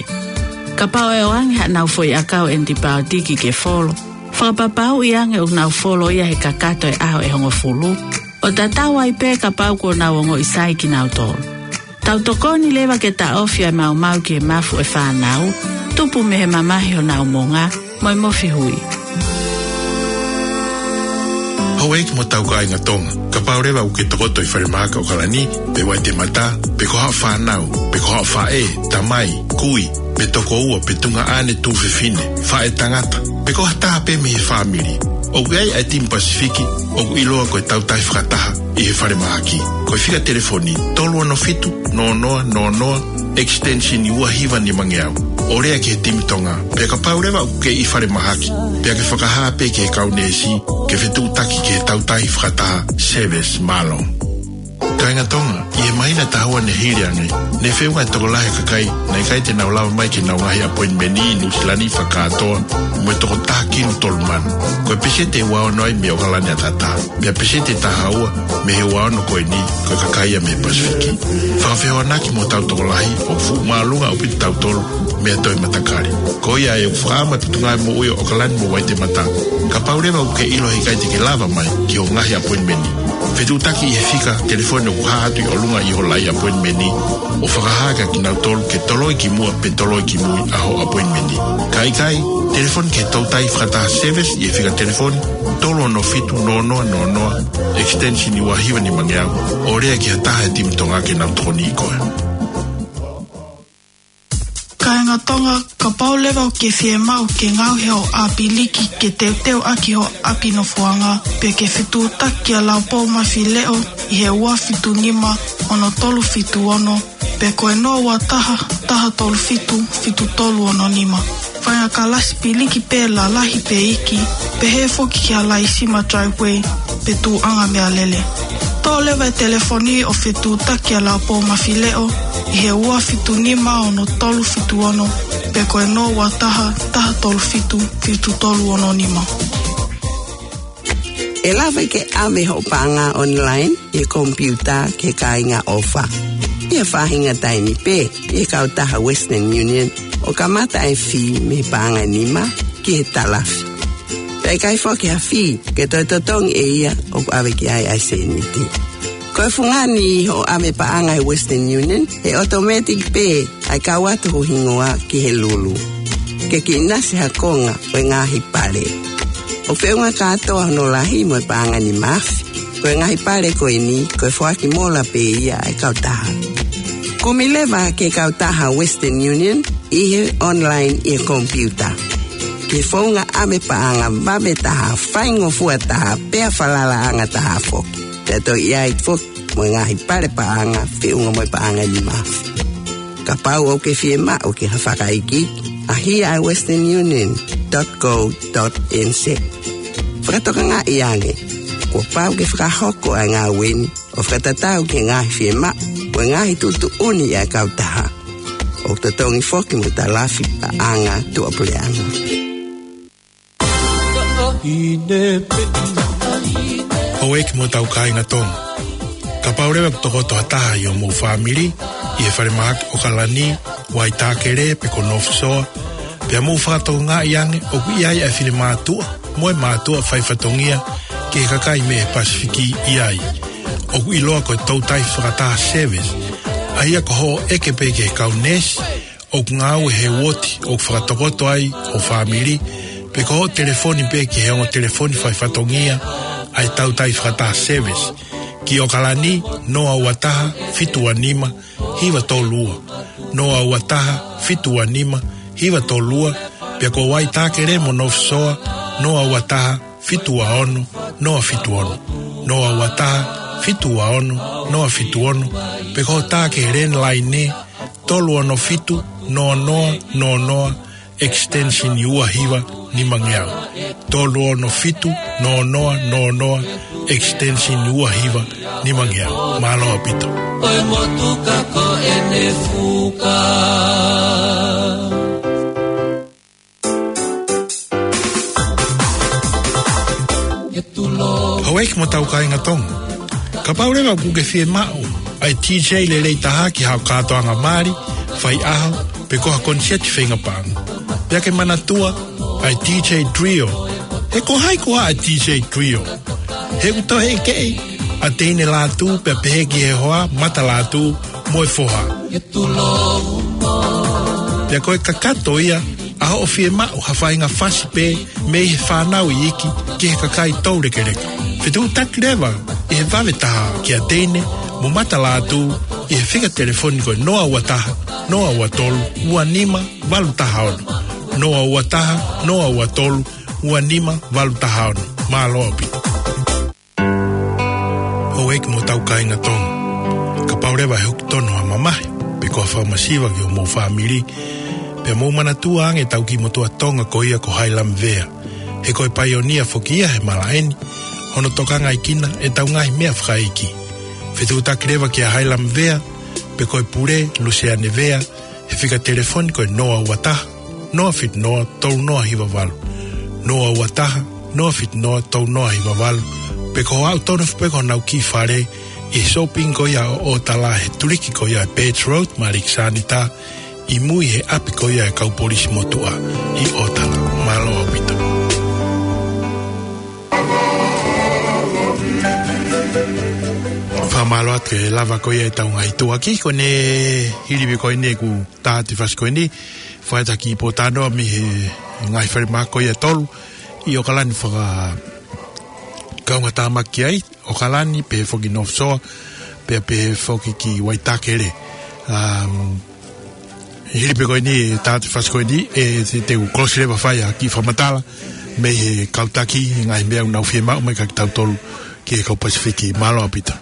Kapau ʻe ʻoange haʻanau foʻi ʻakau ʻenitipaotiki ke folo, fakapapauʻi ange ʻoku nau folo ia he kakato e ʻaho ʻe hongofulu, ʻo tatau ai pē kapau kuo nau ongoʻi sai kinautolu. Tau tokoni leva ke taʻofi ʻa e maumau ki he mafu ʻo e fānau, tupu mei he mamahi honau monga, mo e mofi hui. Houʻeiki mo hotau kāinga Tonga, kapau leva ʻokú ke tokoto ʻi falemahaki ʻAokalani, pe Waitemata, pe ko haʻo fānau, pe ko haʻo faʻē, tamai, kui, pe tokoua, pe tuongaʻane tuofefine, faʻētangata, pe ko ha taha pē mei he fāmili, ʻoku ʻi ai ʻa e timi Pasifiki ʻoku ʻiloa ko e Tautahi Fakataha ʻi he falemahaki. Ko e fika telefoni tolu ono fitu, noa noa noa noa, extension ua hiva nimangeau, ʻo lea ki he timi Tonga. Pea kapau leva ʻokú ke ʻi falemahaki, pea ke fakahā pē ki he kau neesi ke fetuʻutaki ki he Tautahi Fakataha Service. Mālō. Kāinga Tonga, ʻi he māhina ʻe taha ua ne hili ange, ne feʻunga e tokolahi e kakai naʻe ʻikai te nau lava mai ki heʻenau ngaahi appointment ʻi Nuʻu Sila ni fakakātoa, mo e toko taha kinu tolu mano. Ko e peseti ʻe ua ono ai mei ʻAokalani ʻAtatā, pea peseti ʻe taha ua mei he ua ono ko eni, ko e kakai ia mei Pasifiki. Fakafehoanaki mo hotau tokolahi, ʻoku fuʻu māʻolunga ʻaupito kitautolu mei ha toe matakali. Ko ia ʻoku fakaʻamu e Potungāue Moʻui ʻo ʻAokalani mo Waitemata, kapau leva ʻokú ke ʻilo he ʻikai te ke lava mai ki hoʻo ngaahi appointment, fetuʻutaki ʻi he fika telefoni ʻoku hā atu ʻi ʻolunga ʻi ho laʻi appointment, ʻo fakahā kia kinautolu ke toloi ki muʻa pe toloi ki mui ʻa hoʻo appointment. Ka ʻikai, telefoni ki he Tautahi Fakataha Service ʻi he fika telefoni tolu ono fitu, noa noa noa noa, extension ua hiva nimangeau, ʻo lea ki ha taha e timi Tonga ke nau tokoniʻi koe. Kāinga Tonga, kapau leva ʻoku ke fiemaʻu ke ngaohi hoʻo ʻapiliki ke teuteu ʻaki hoʻo ʻapi nofoʻanga, pe ke fetuʻutaki kia Laupou Mafileʻo ʻi he ua fitu nima ono tolu fitu ono, pe ko e noa ua taha, taha tolu fitu, fitu tolu ono nima. Faʻahinga kalasi piliki pē lalahi pe iiki, pehē foki ki ha laisima driveway pe tuʻuʻanga meʻalele. Toʻo leva e telefoni ʻo fetuʻutaki kia Laupou Mafileʻo ʻi he ua fitu nima ono tolu fitu ono, pe ko e noa ua taha, taha tolu fitu, fitu tolu ono nima. ʻE lava ke ʻave hoʻo paʻanga online ʻi he komipiuta ki he kāinga ʻofa ʻi ha faʻahinga taimi pē ʻi he kautaha Western Union, ʻo kamata e fī mei he paʻanga ʻe nima ki he talafi. Pea ʻikai foki ha fī ke toe totongi ʻe ia ʻoku ʻave ki ai ʻa e sēniti. Ko e fungani ʻi hoʻo ʻave paʻanga ʻi he Western Union, ʻe automatic pē ʻa e kau atu ho hingoa ki he lulu. Ke ke ʻinasi ha konga ʻo e ngaahi pale. ʻOku feʻunga kātoa hono lahi mo e paʻanga ʻe nima afe. Ko e ngaahi pale ko eni, ko e foaki mola pē ia ʻa e kautaha. Kumi leva ki he kautaha Western Union ʻi he online ʻi he komipiuta. Ki he founga ʻave paʻanga vave taha, faingofua taha, pea falalaʻanga taha foki. Pea toe ʻi ai foki mo e ngaahi pale paʻanga feʻunga mo e paʻanga ʻe nima afe. Kapau ʻoku ke fiemaʻu ke ke fakaikiiki, ʻaʻahi ʻa e western union dot co dot N Z. Fakatokangaʻi ange, kuo pau ke fakahoko ʻa e ngāue ni ʻo fakatatau ki he ngaahi fiemaʻu mo e ngaahi tuʻutuʻuni ʻa e kautaha. ʻOku totongi foki mo e talafi paʻanga tuʻapuleʻanga. Houʻeiki mo hotau kāinga Tonga. Kapau leva ʻoku tokoto ha taha ʻi hoʻomou fāmili ʻi he falemahaki ʻOkalani, Waitākere pe ko North Shore, pea mou fakatokangaʻi ange ʻoku ʻi ai ʻa e finemātuʻa mo e mātuʻa faifatongia ki he kakai mei he Pasifiki ʻi ai. ʻOku ʻiloa ko e Toutai Fakataha Service, ʻa ia ko hoʻo ʻeke pē ki he kau neesi ʻoku ngāue he uooti ʻoku fakatokoto ai ho fāmili, pe ko hoʻo telefoni pē ki he ongo telefoni faifatongia ʻa e Toutai Fakataha Service, ki ʻOkalani, noa ua taha, fitu ua nima, hiva tolu ua, noa ua taha, fitu ua nima, hiva tolu ua, pea ko Waitākere mo North Shore, noa ua taha, fitu ua ono, noa fitu ono, noa ua taha, fitu ua ono, noa fitu ono, pe ko hoʻo tā ki he landline, tolu ono fitu, noa noa noa noa, extension ua hiva nimangeau. Tolu ono fitu, noa noa noa noa, extension ua hiva nimangeau. Mālō ʻaupito. ʻOi motuka ko ʻene fuka. Houʻeiki mo hotau kāinga Tonga. Kapau leva ʻoku ke fiemaʻu ʻa e D J lelei taha ki haʻo kātoanga mali, faiʻaho, pe ko ha koniseti feinga paʻanga, pea ke manatua ʻa e D J Trio. He ko hai koā ʻa e D J Trio? He ʻoku toe ʻekeʻi ʻa Teine Lātū pea pehē ki he hoa, Mata Lātū mo e foha. Pea ko e kakato ia ʻa hoʻo fiemaʻu ha faʻahinga fasi pē mei he fānau iiki ki he kakai toulekeleka. Fetuʻutaki leva ʻi he vave taha kia Teine mo Mata Lātū ʻi he fika telefoni ko e noa ua taha, noa ua tolu, ua nima valu taha ono. Noa ua taha, noa ua tolu, ua nima valu taha ono. Mālō ʻaupito. Houʻeiki mo hotau kāinga Tonga. Kapau leva ʻe hoko tonu ha mamahi pe ko ha fakamasiva ki hoʻomou fāmili, pea mou manatua ange ʻetau kiʻi motuʻa Tonga ko ia ko Hailami Vea. He ko e paionia foki ia he malaʻe ni, hono tokangaʻi kinautolu ʻetau ngaahi meʻa fakaʻeiki. Fetuʻutaki leva kia Hailami Vea, pe ko e pule, Luseane Vea, he fika telefoni ko e noa ua taha, noa fitu noa, tolu noa hiva valu. Noa ua taha, noa fitu noa, tolu noa hiva valu. Pe ko hoʻo aʻu tonu foki pē ki honau kiʻi fale ʻi he shopping ko ia ʻo ʻOtala he tuliki ko ia ʻa e Birch Road mo Alexanita, ʻi mui he ʻapi ko ia ʻa e kau polisi motuʻa ʻi ʻOtala. Mālō ʻaupito. Fakamālō atu he lava ko ia ʻetau ngaahi tuʻuaki ko eni, hili pē ko eni ʻeku tā atu e fasi ko eni, fai atu ha kiʻi pōtalanoa mei he ngaahi falemahaki ko ia ʻe tolu ʻi ʻOkalani fakakaungātāmaki ai, ʻOkalani, pehē foki North Shore, pea pehē foki ki Waitākere. Um, Hili pē ko eni, ʻe taha e fasi ko eni, ʻe te, te u kolosi leva fai ʻa e kiʻi fakamatala mei he kau taki, ngaahi meʻa ʻoku nau fiemaʻu mai kia kitautolu ki he kau Pasifiki. Mālō ʻaupito.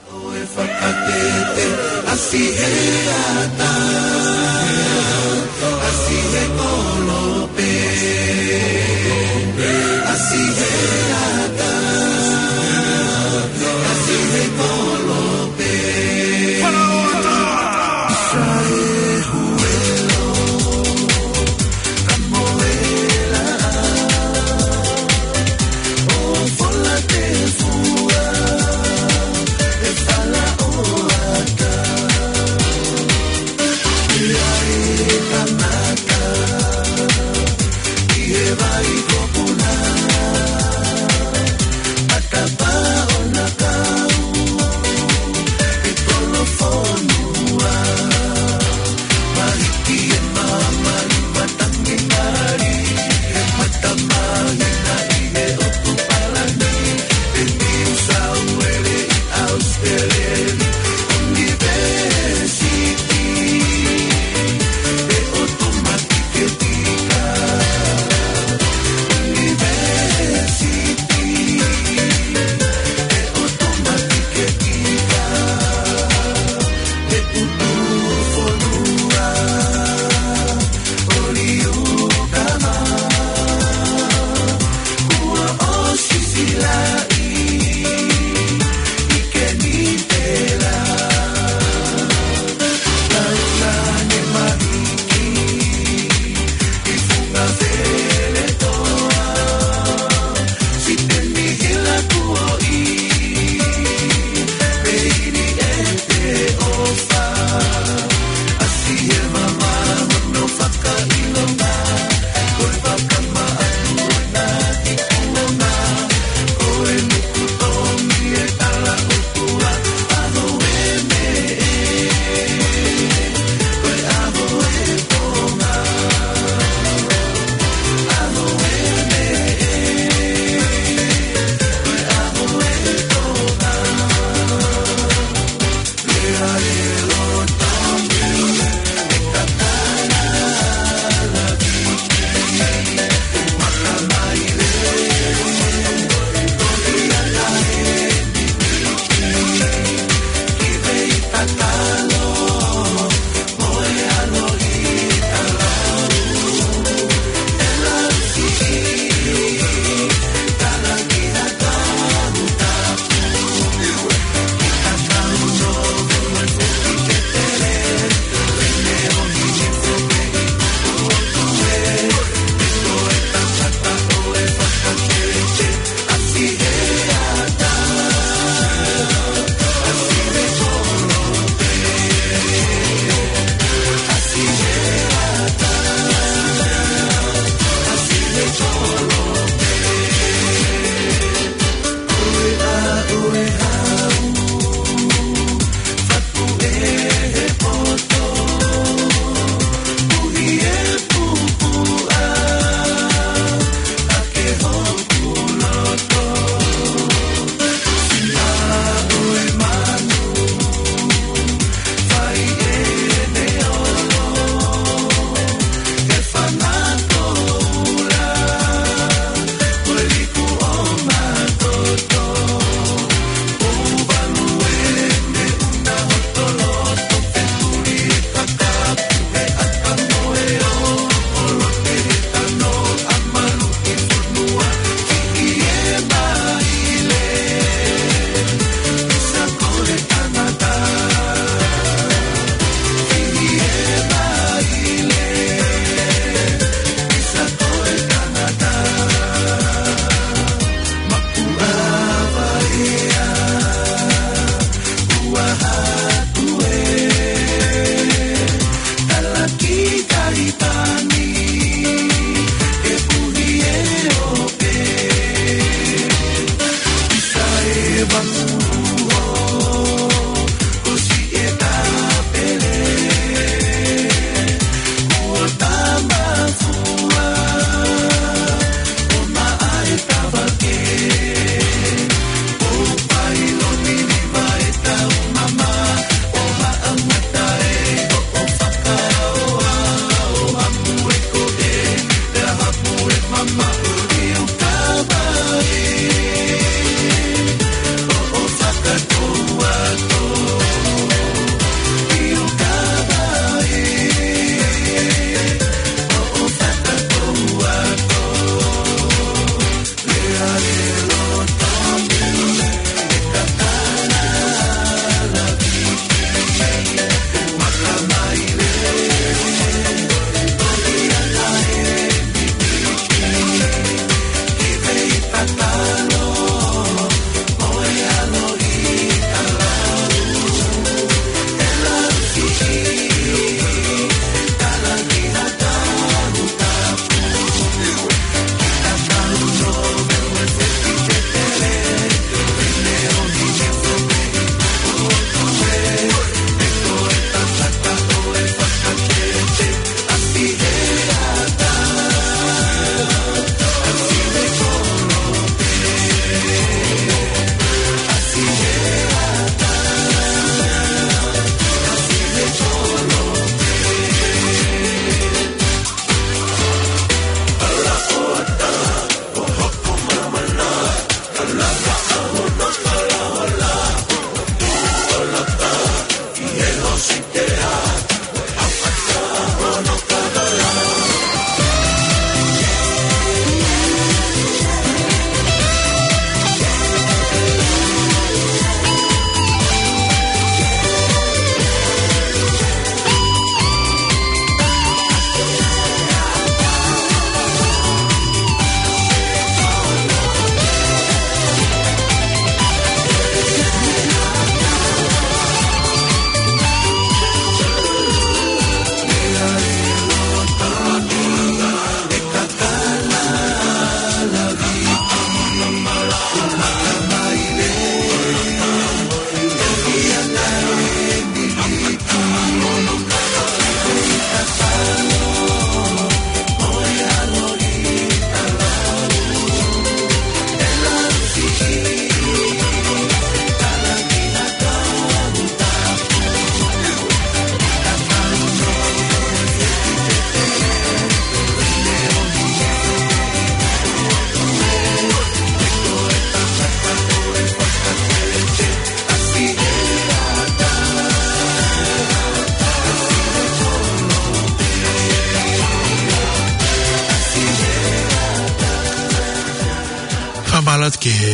Mālō atu ki he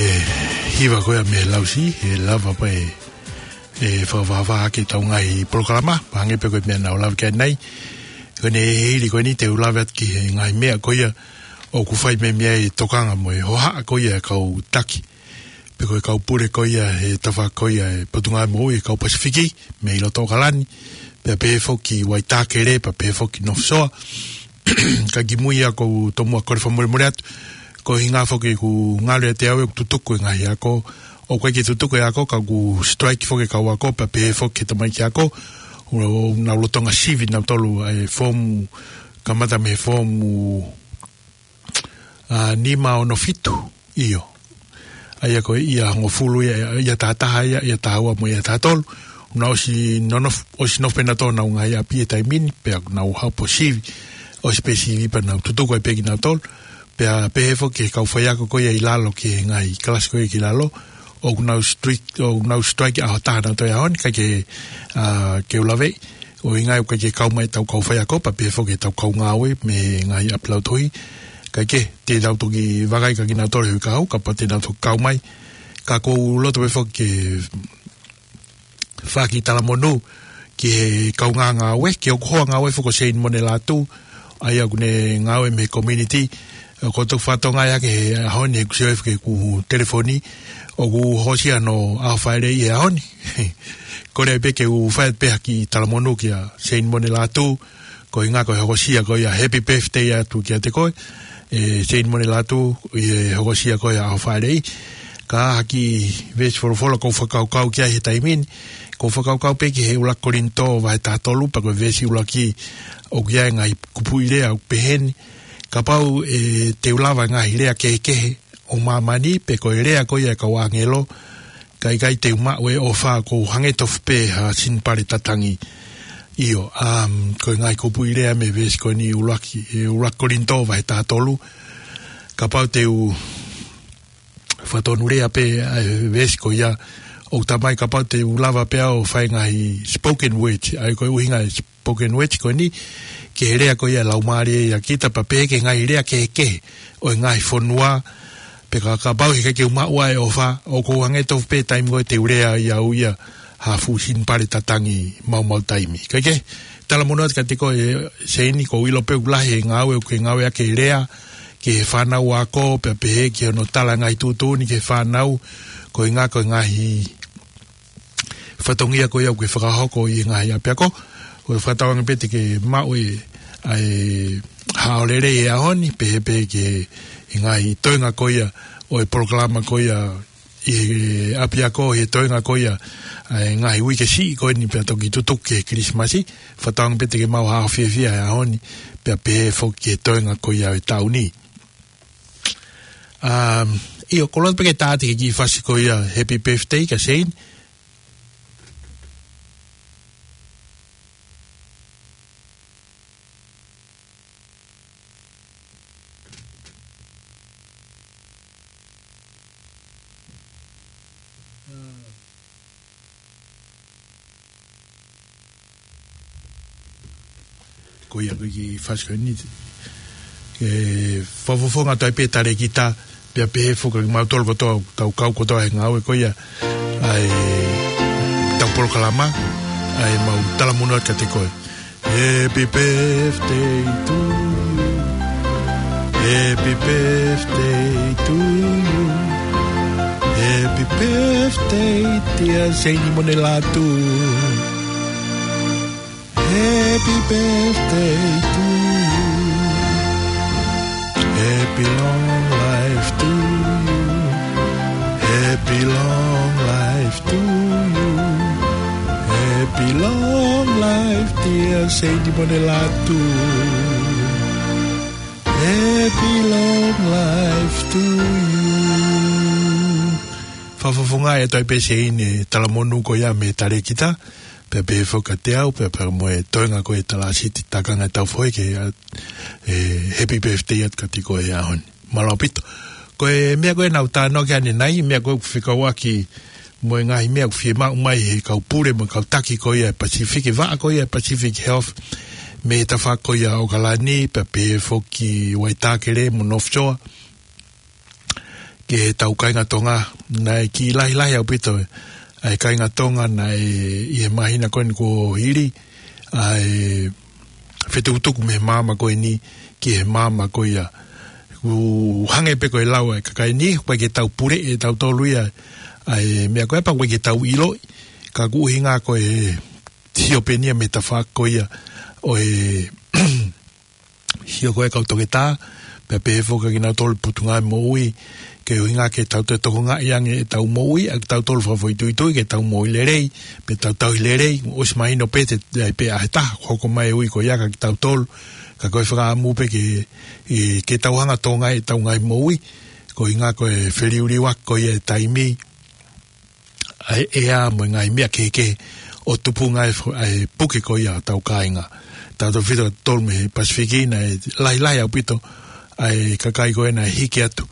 hiva ko ia mei Lausi, he lava pē ʻe fakavavā ke tau ngaahi polokalama, pea hangē pē ko e meʻa naʻa ku lave ki ai ʻanenai. Ko ʻene hili ko eni te u lave atu ki he ngaahi meʻa ko ia ʻoku fai mei ai e tokanga mo e hohaʻa ko ia e kau taki. Pe ko e kau pule ko ia he tafaʻaki ko ia e Potungāue Moʻui e kau Pasifiki, mei loto ʻAokalani, pea pehē foki Waitākere, pea pehē foki North Shore. Ka kimui ia ʻoku ou tomuʻa kole fakamolemole atu. Ko e ʻuhinga foki ʻoku ngalo ʻiate au ʻeku tutuku e ngaahi ako. ʻOku ʻikai ke tutuku e ako, ka ʻoku strike foki e kau ako, pea pehē foki e tamaiki ako. ʻOku nau lolotonga sivi nautolu e foomu, kamata mei he foomu, ʻa, nima, ono, fitu, ʻio. ʻA ia ko e ʻaho hongofulu ia, ʻaho taha taha ia, ʻaho taha ua mo e ʻaho taha tolu. Nau ʻosi nonofo, ʻosi nofo pē nautolu honau ngaahi ʻapi he taimi ni, pea nau haʻu ʻo sivi, ʻosi pē sivi pea nau tutuku ai pē kinautolu. Pea pehē foki ki he kau faiako ko ia ʻi lalo ki he ngaahi kalasi ko ia ki lalo, ʻoku nau strike, ʻoku nau strike ʻaho taha nautolu he ʻaho ni, ʻikai ke, ʻa, ke u lave, ʻuhinga ʻoku ʻikai ke kau mai ʻetau kau faiako, pea pehē foki ʻetau kau ngāue mei he ngaahi ʻapi lautohi. Kae kehe, te nau toki vakai kia kinautolu he uike kahaʻu, kapau te nau toki kau mai. Ka ʻoku ou loto pē foki ke fai ha kiʻi talamonū ki he kaungā ngāue, ki hoku hoa ngāue foki ko Seini Monelatu, ʻa ia ʻoku ne ngāue mei he community, ʻoku ou toki fakatokangaʻi hake he ʻaho ni he kuo ʻosi ʻofa ki heʻeku telefoni, ʻoku hokosia hono ʻaho fāʻeleʻi he ʻaho ni. Kole pē ke u fai pē ha kiʻi talamonū kia Seini Monelatu, ko e ʻuhinga ko e hokosia ko ia happy birthday atu kiate koe, ʻe Seini Monelatu, ʻi he hokosia ko ia ʻaho fāʻeleʻi. Ka ha kiʻi veesi folofola ʻoku ou fakakaukau ki ai he taimi ni, ʻoku ou fakakaukau pē ki he ʻuluaki Kolinitō vahe taha tolu pea ko e veesi ʻuluaki ʻoku ʻi ai e ngaahi kupuʻi lea ʻoku pehē ni. Kapau ʻe te u lava e ngaahi lea kehekehe ʻo māmani pe ko e lea ko ia e kau ʻāngelo, ka ʻikai te u maʻu e ʻofa ʻoku ou hangē tofu pē ha sinipale tatangi. ʻIo, um, ko e ngaahi kupuʻi lea mei he veesi ko eni ʻuluaki, ʻe ʻuluaki Kolinitō vahe taha tolu. Kapau te u fakatonulea pē ʻa e veesi ko ia, ʻoku talamai kapau te u lava pē au ʻo fai e ngaahi spoken word, ʻa ia ko e ʻuhinga e spoken word ko eni, ki he lea ko ia e Laumālie ʻia kita pea pehē ki he ngaahi lea kehekehe ʻo e ngaahi fonua, pe ka kapau heʻikai ke u maʻu ʻa e ʻofa, ʻoku ou hangē tofu pē taimi ko ē te u lea ai au ia ha fuʻu sinipale tatangi maumau taimi. Kae kehe, talamonū atu kiate koe Seini, ʻoku ou ʻilo pē ʻoku lahi e ngāue ʻoku ke ngāueʻaki e lea ki he fānau ako, pea pehē ki hono tala e ngaahi tuʻutuʻuni ki he fānau, ko e ʻuhinga ko e ngaahi fatongia ko ia ʻoku ke fakahoko ʻi he ngaahi ʻapiako. ʻOku ou fakatauange pē te ke maʻu e, ʻa e haʻo lelei he ʻaho ni, pehē pē ki he ngaahi toenga ko ia ʻo e polokalama ko ia ʻi he ʻapiako, he toenga ko ia ʻa e ngaahi uike siʻi ko eni pea toki tutuku ki he Kilisimasi. Fakatauange pē te ke maʻu ha ʻaho fiefia he ʻaho ni, pea pehē foki ki he toenga ko ia ʻo e taʻu ni. Um, ʻio, kole atu pē ke tā atu e kiʻi fasi ko ia happy birthday kia Seini. Ko ia ko e kiʻi fasi ko eni. Ke fakafofonga atu ai pē talēkita, pea pehē foki kimautolu kotoa, tau kau kotoa he ngāue ko ia ʻa ʻetau polokalama, ʻa ʻemau talamonū atu kiate koe. Happy birthday to you. Happy birthday to you. Happy birthday, dear Seini Monelatu. Happy birthday to you. Happy long life to you. Happy long life to you. Happy long life, dear Seini Monelatu. Happy long life to you. Fakafofonga atu ai pē Seini e talamonū ko ia mei he talēkita, pea pehē foki kiate au, pea pea mo e toenga ko e talāsiti, tākanga ʻetau foʻi ke, ʻa, e, happy birthday atu kiate koe he ʻaho ni. Mālō ʻaupito. Ko e meʻa ko ē naʻa ku talanoa ki ai ʻanenai, meʻa ko ē ʻoku fekauʻaki mo e ngaahi meʻa ʻoku fiemaʻu mai he kau pule mo e kau taki ko ia e Pacific, e vaʻa ko ia e Pacific Health, mei he tafaʻaki ko ia ʻo ʻAokalani, pea pehē foki Waitākere mo North Shore. ki heʻetau kāinga Tonga, naʻe kiʻi lahilahi ʻaupito ʻa e kāinga Tonga naʻe ʻi he māhina ko eni kuo hili, ʻa e fetukutuku mei he maama ko eni ki he maama ko ia. ʻOku hangē pē ko e lau ʻa e kakai ni, ʻoku ʻikai ke tau puleʻi ʻe tautolu ia ʻa e meʻa ko ia, pea ʻoku ʻikai ke tau ʻiloʻi, ka ʻoku ʻuhinga ko e sio pē eni ia mei he tafaʻaki ko ia ʻo e sio ko ē ʻa e kau toketā, pea pehē foki kinautolu Potungāue Moʻui, ke ʻuhinga ke tau toe tokangaʻi ange ʻetau moʻui ʻa kitautolu fakafoʻituitui, ke tau moʻui lelei, pea tau tauhi lelei, ʻosi mahino pē te, ʻe ʻi ai pē ʻa e taha, hoko mai e ui ko ia kia kitautolu, ka ko e fakaʻamu pē ke, ʻe, ke tau hanga ʻo tokangaʻi ʻetau ngaahi moʻui, ko e ʻuhinga ko e feliuliuaki ko ia e taimi, ʻa e ʻea mo e ngaahi meʻa kehekehe ʻo tupunga e fo-, ʻa e puke ko ia ʻo hotau kāinga. Tautautefito kia tautolu mei he Pasifiki naʻe lahilahi ʻaupito ʻa e kakai ko ē naʻe hiki atu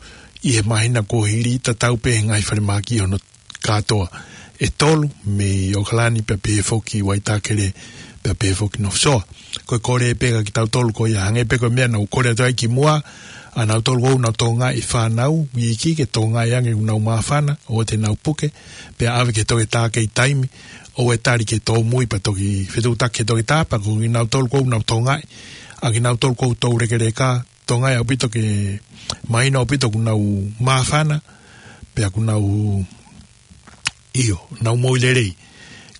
ʻi he māhina kuo hili, tatau pē he ngaahi falemahaki hono kātoa ʻe tolu, mei ʻOkalani pea pehē foki Waitakere pea pehē foki North Shore. Ko e kole pē kia kitautolu ko ia, hangē pē ko e meʻa naʻa ku kole atu ai kimuʻa, ʻa kinautolu ʻoku nau tokangaʻi e fānau iiki ke tokangaʻi ange ʻoku nau māfana, ʻoua te nau puke, pea ʻave ki he toketā kei taimi, ʻoua ʻe tali ke tōmui pea toki fetuʻutaki ki he toketā, pea ko kinautolu ʻoku nau tokangaʻi, ʻa kinautolu ʻoku toulekeleka, tokangaʻi ʻaupito ke mahino ʻaupito ʻoku nau māfana, pea ʻoku nau ʻIo, nau moʻui lelei.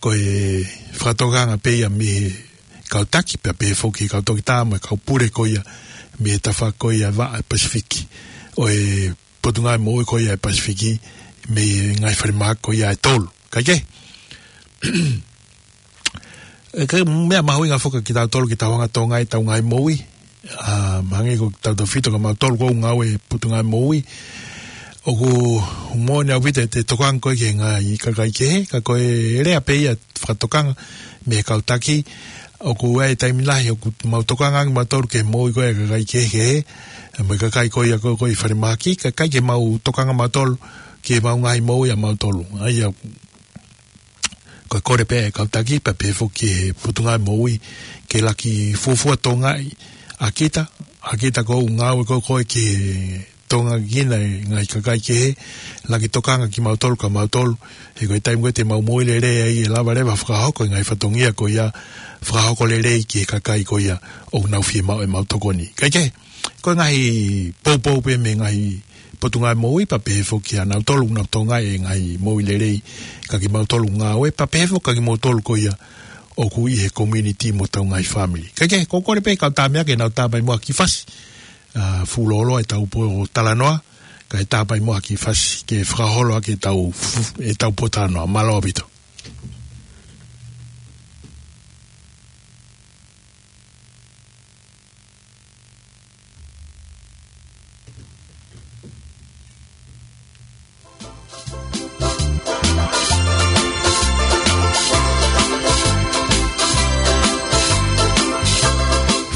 Ko e fakatokanga pē ia mei he kau taki, pea pehē foki kau toketā mo e kau pule ko ia mei he tafaʻaki ko ia ʻa e Pasifiki. ʻO e Potungāue Moʻui ko ia ʻa e Pasifiki, mei he ngaahi falemahaki ko ia ʻe tolu. Kae kehe, ʻe, ko e meʻa mahuʻinga foki kia kitautolu ke tau hanga ʻo tokangaʻi ʻetau ngaahi moʻui. ʻA, mahalo ko kitautolu ʻoku tau fito kia mautolu ʻoku ngāue Potungāue Moʻui. ʻOku moʻoni ʻaupito ʻete tokanga ko ē ki he ngaahi kakai kehe, ka ko e lea pē ia fakatokanga mei he kau taki. ʻOku ʻi ai e taimi lahi ʻoku mau tokanga ange mautolu ki he moʻui ko ē ʻa e kakai kehekehe, mo e kakai ko ia ko ē ʻoku ʻi falemahaki, kae ʻikai ke mau tokanga mautolu ki heʻemau ngaahi moʻui ʻa mautolu. ʻA ia, ko e kole pē ʻa e kau taki, pea pehē foki ki he Potungāue Moʻui, ke laki fuofua tokangaʻi ʻa kita, ʻa kita ʻoku ngāue ko ē ko ē ke tokangaʻi e ngaahi kakai kehe, laki tokanga kia mautolu kia mautolu, he ko e taimi ko ē te mau moʻui lelei ai ʻe lava leva ʻo fakahoko e ngaahi fatongia ko ia, fakahoko lelei ki he kakai ko ia ʻoku nau fiemaʻu ʻemau tokoni. Kae kehe, ko e ngaahi poupou pē mei he ngaahi Potungāue Moʻui, pea pehē foki kia nautolu ʻoku nau tokangaʻi e ngaahi moʻui lelei kia kimautolu ʻoku ngāue, pea pehē foki kia kimautolu ko ia ʻoku ʻi he community mo hotau ngaahi fāmili. Kae kehe, ko e kole pē kau tama ke nau tāpai muʻa ha kiʻi fasi, ʻa, fuʻu lōloa ʻetau pōtalanoa, kae tāpai muʻa ha kiʻi fasi ke fakaholo ʻaki ʻetau fu-, ʻetau pōtalanoa. Mālō ʻaupito.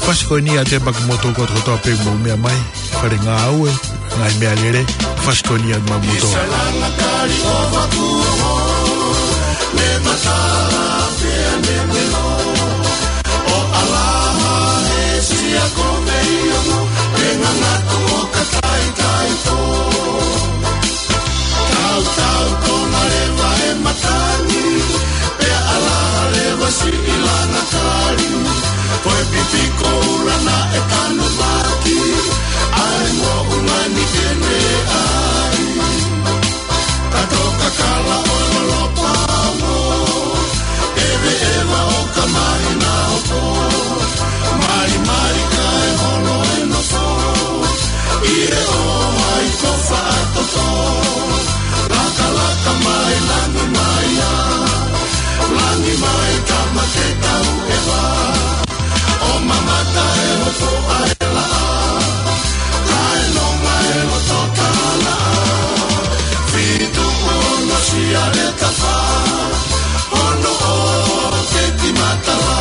Fasi ko eni ʻa e temaki motu kotoa kotoa pē mou meʻa mai, fale ngāue, ngaahi meʻalele, fasi ko eni ʻa e temaki motu. ʻO ʻalaha he sia ko mei ono, pe ngangatu ʻo ka taitaito. Tautau tona leva e matangi, pea ʻalaha leva siʻi langa kali. Ko e pipi koula naʻe tanumaki, ʻa e moʻunga ni ke ne ʻai. Ka toka kala ʻo lolopa mo, ʻeveʻeva ʻo ka mahi na hopo. Malimali kae holo e nofo, ʻi he ʻohai ko faʻatoto. Lakalaka mai, langi mai ā, langi mai tama ke tau ʻeva. ʻO mamata e hopo ʻa e laʻā, kae nonga e loto kala. Fitu ono sia le tafa, ono o ke ti matala.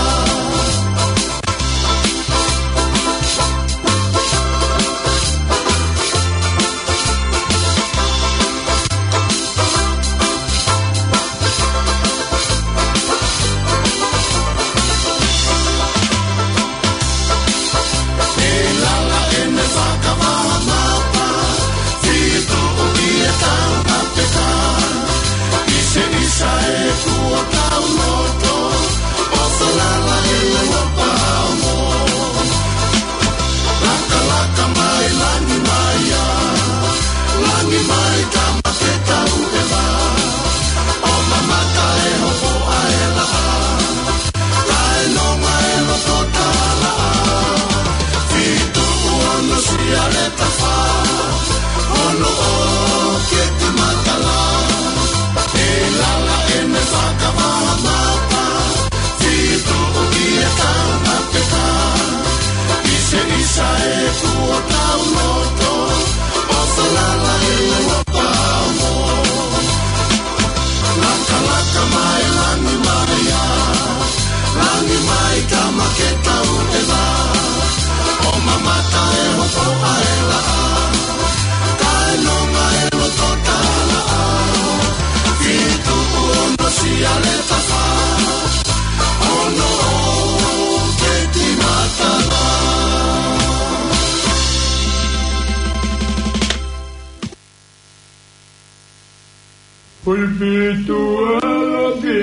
Ui pitu alo ki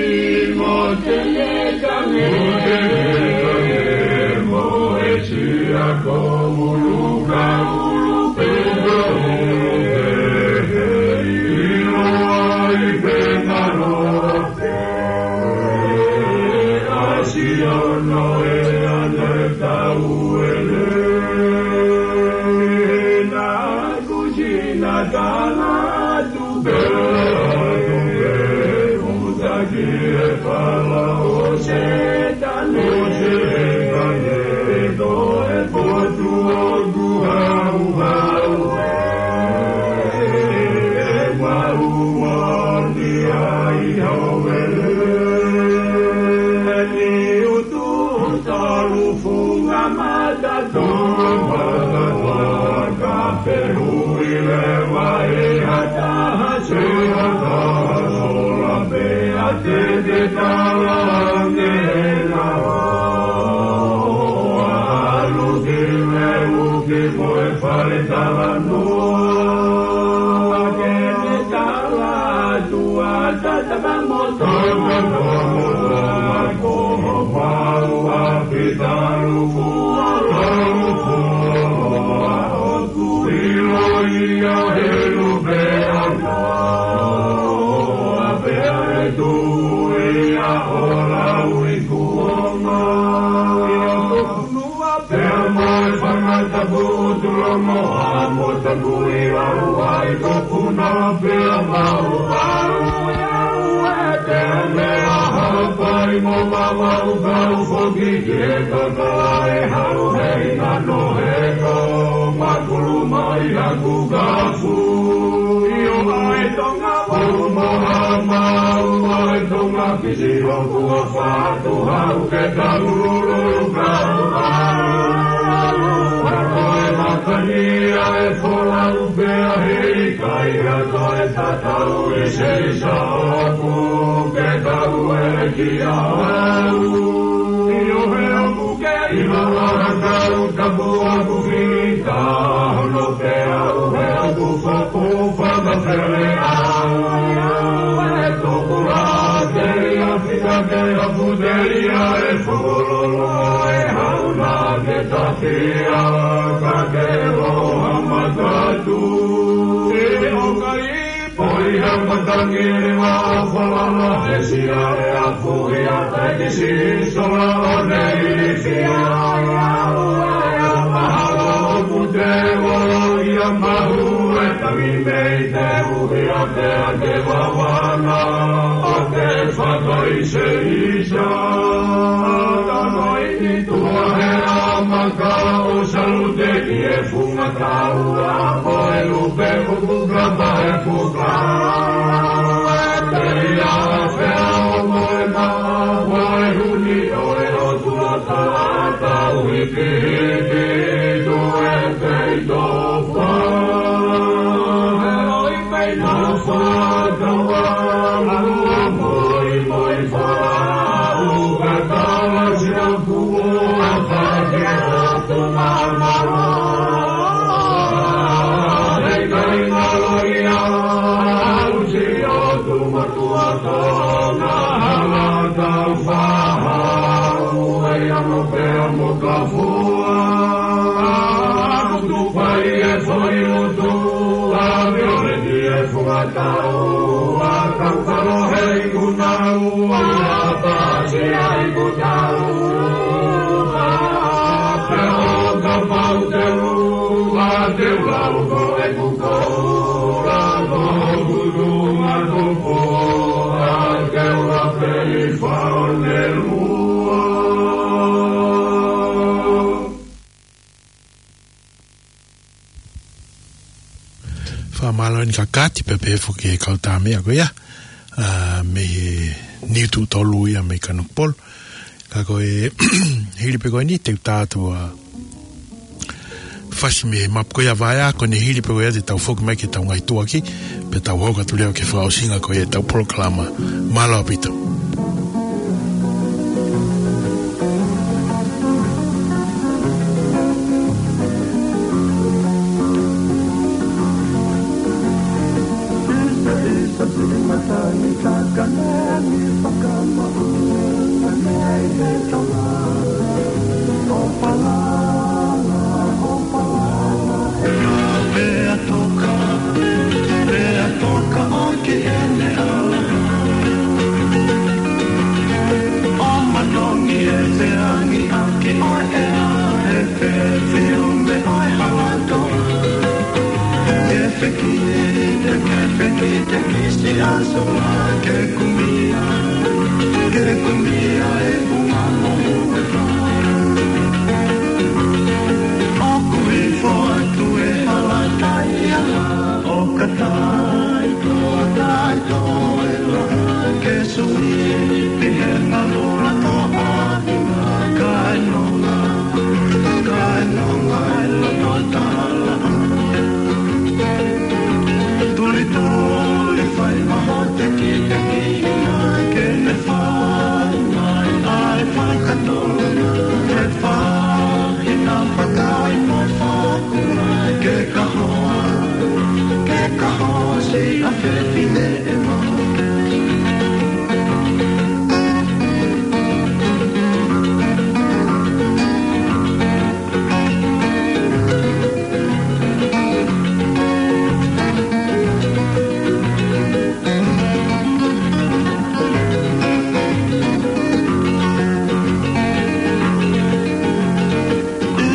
mo te ne kange, mo e tia ko ulu ka ulu pe ka ulu pe, ilo ai pe ngalo pe, asi ono e ane tau ele. Na kuji na tala tu pe, tu pe, utaki e pala o Sētane, o Sētane, ko e potu ʻoku hauhau, e mau mani ai hau ele. Ni utu talu funga mata, funga mata, ka pe hui leva e ha taha, se ha taha sola pē ʻa te te tala ange na. Alu ki leuki mo e fale talanoa, ke te tala atu ʻa tata ka mo tata ka mo tata ko ho mau ʻa pitalu fua, talu fua, ʻoku ʻilo ia he lupe ʻana, ʻa pea e tui ia ʻo lau i kuonga. Pea mo e fanga tapu tulo mo ha mo tapu i lau ai ko puna pea mau lau e te mea hapai mo mawau kau foki ki he kaka e hau hei ngano he ko makulu mai haku kafu. Io ai Tonga Pau mo ha mau ai Tonga Fisi ʻoku ʻa fatu hau ke tau lulu kau hau. Hau e matani ʻa e folau pea hei kai ha toe tatau i se isa ʻoku ke tau e ki a hau. Io he ʻoku ke ʻilo ʻa ha kau tapu ʻoku fita hono pea ʻo he ʻoku foku fanga pele au. E tuku la te ia fita ke apu te ia e fukulolo e hau na ke tafia ka ke loha matatu. E o kai Poi ha matangi ni ma falala e sia e apu ia te kisi sola o nei fia ia ua e a mahalo o pute o ia mahu e tangi mei te uhi a te ake wawana o te fakai se isa. Tano i ni tua he a maka o salute ki e funga taua mo e lupe kuku kapa e kuka. Te ia fea o mo e ma mo e huni o e o tua tata ui ki hiki tu e pei tofa. E oi pei tofa taua mo e moi moi fa u ka tala si a Tau kalo hei kuna ua, pasi ai kutau. Pea o kapau te ua, te ua uko e kuko, la ko kutu ma kuko, a te ua pei fao ne lua. Fakamālō eni Kakati, pea pehē foki e kau tāmeʻa ko ia, ā, mei he Niutū tolu ia mei Kanokupolu. Ka ko e hili pē ko eni te u tā atu ʻa Fasi mei he mapu ko ia vaea, ko eni hili pē ko ia te tau foki mai ki heʻetau ngaahi tuʻuaki, pea tau hoko atu leva ki he fakaʻosinga ko ia ʻetau polokalama. Mālō ʻaupito. Te kisi aso la ke kumia, ke kumia e funga mohu e fā. ʻOku hifo atu e hala taia, ʻo ka taʻetoa, taʻetoa e laha, ke sui pē he ngalu la toʻa, kae nonga, kae nonga e loto tala. Tuli tuli fai maho te ki te ki na ke ne fai mai ai fakatolu na ke fai na fakai mo faku ke kahoa, ke kahoa si a fefine e maho.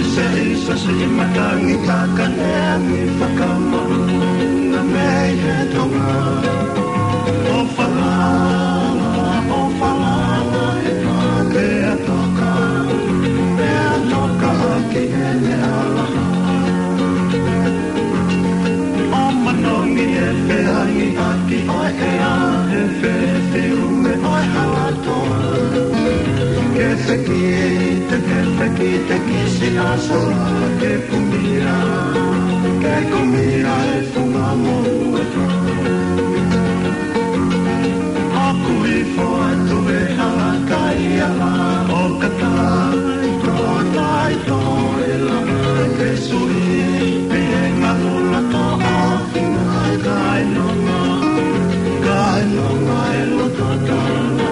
Isa, isa, si matangi takane angi fakamauna mei he tonga. ʻO falala, ʻo falala, e pea toka, pea toka ki heʻene ala. ʻO manongi e feangi ʻaki ʻo e ʻea, he fefiu me ʻo e hala toa. Ke fekite, ke fekite kisi aso la ke kumia, ke kumia e funga mohu e fā. ʻOku hifo atu e hala taia la, ʻo ka taʻetoa, taʻetoa e laha, ke sui pē he ngalu la toʻa, kae nonga, kae nonga e loto tala.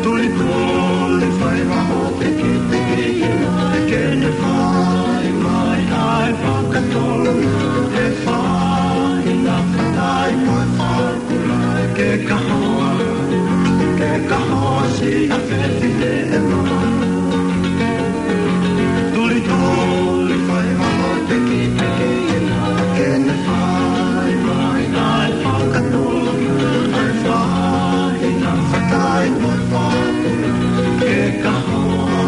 Tuli tuli fai maho te ki te ki na ke ne fai mai ai fakatolu na e fai na fakai mo e fakula ke kahoa, ke kahoa si a fefine e maho. Tuli tuli fai maho te ki te ki na ke ne fai mai ai fakatolu na e fai na fakai mo e fakula ke kahoa,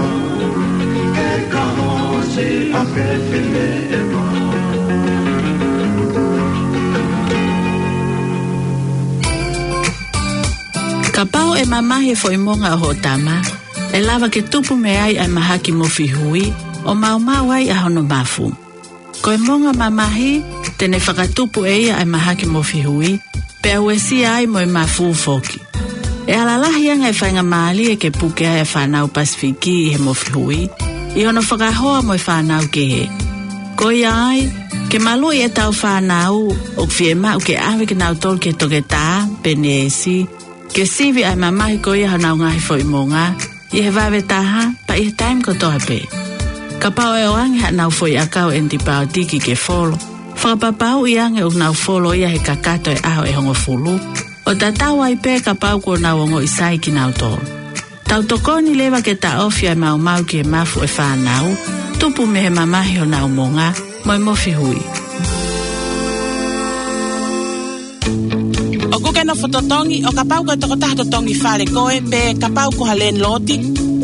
ke kahoa si a fefine e maho. Kapau ʻe mamahi e foʻi monga ʻo hoʻo tama, ʻe lava ke tupu mei ai ʻa e mahaki mofi hui, ʻo maumau ai ʻa hono mafu. Ko e monga mamahi, te ne fakatupu ʻe ia ʻa e mahaki mofi hui, pea uesia ai mo e mafu foki. ʻE ala lahi ange e faingamālie ke puke ai ʻa e fānau Pasifiki ʻi he mofi hui, ʻi hono fakahoa mo e fānau kehe. Ko ia ai, ke maluʻi ʻetau fānau, ʻoku fiemaʻu ke ʻave kinautolu ki he toketā, pe neesi, ke sivi ʻa e mamahi ko ia honau ngaahi foʻi monga, ʻi he vave taha, pea ʻi he taimi kotoa pē. Kapau ʻe ʻoange haʻanau foʻi ʻakau ʻenipaotiki ke folo, fakapapauʻi ange ʻoku nau folo ia he kakato e ʻaho ʻe hongofulu, ʻo tatau ai pē kapau kuo nau ongoʻi sai kinautolu. Tau tokoni leva ke taʻofi ʻa e maumau ki he mafu ʻo e fānau, tupu mei he mamahi honau monga, mo e mofi hui. ʻOku ke nofo totongi, ʻo kapau ko e tokotaha totongi fale koe, pe kapau ko ha landlord,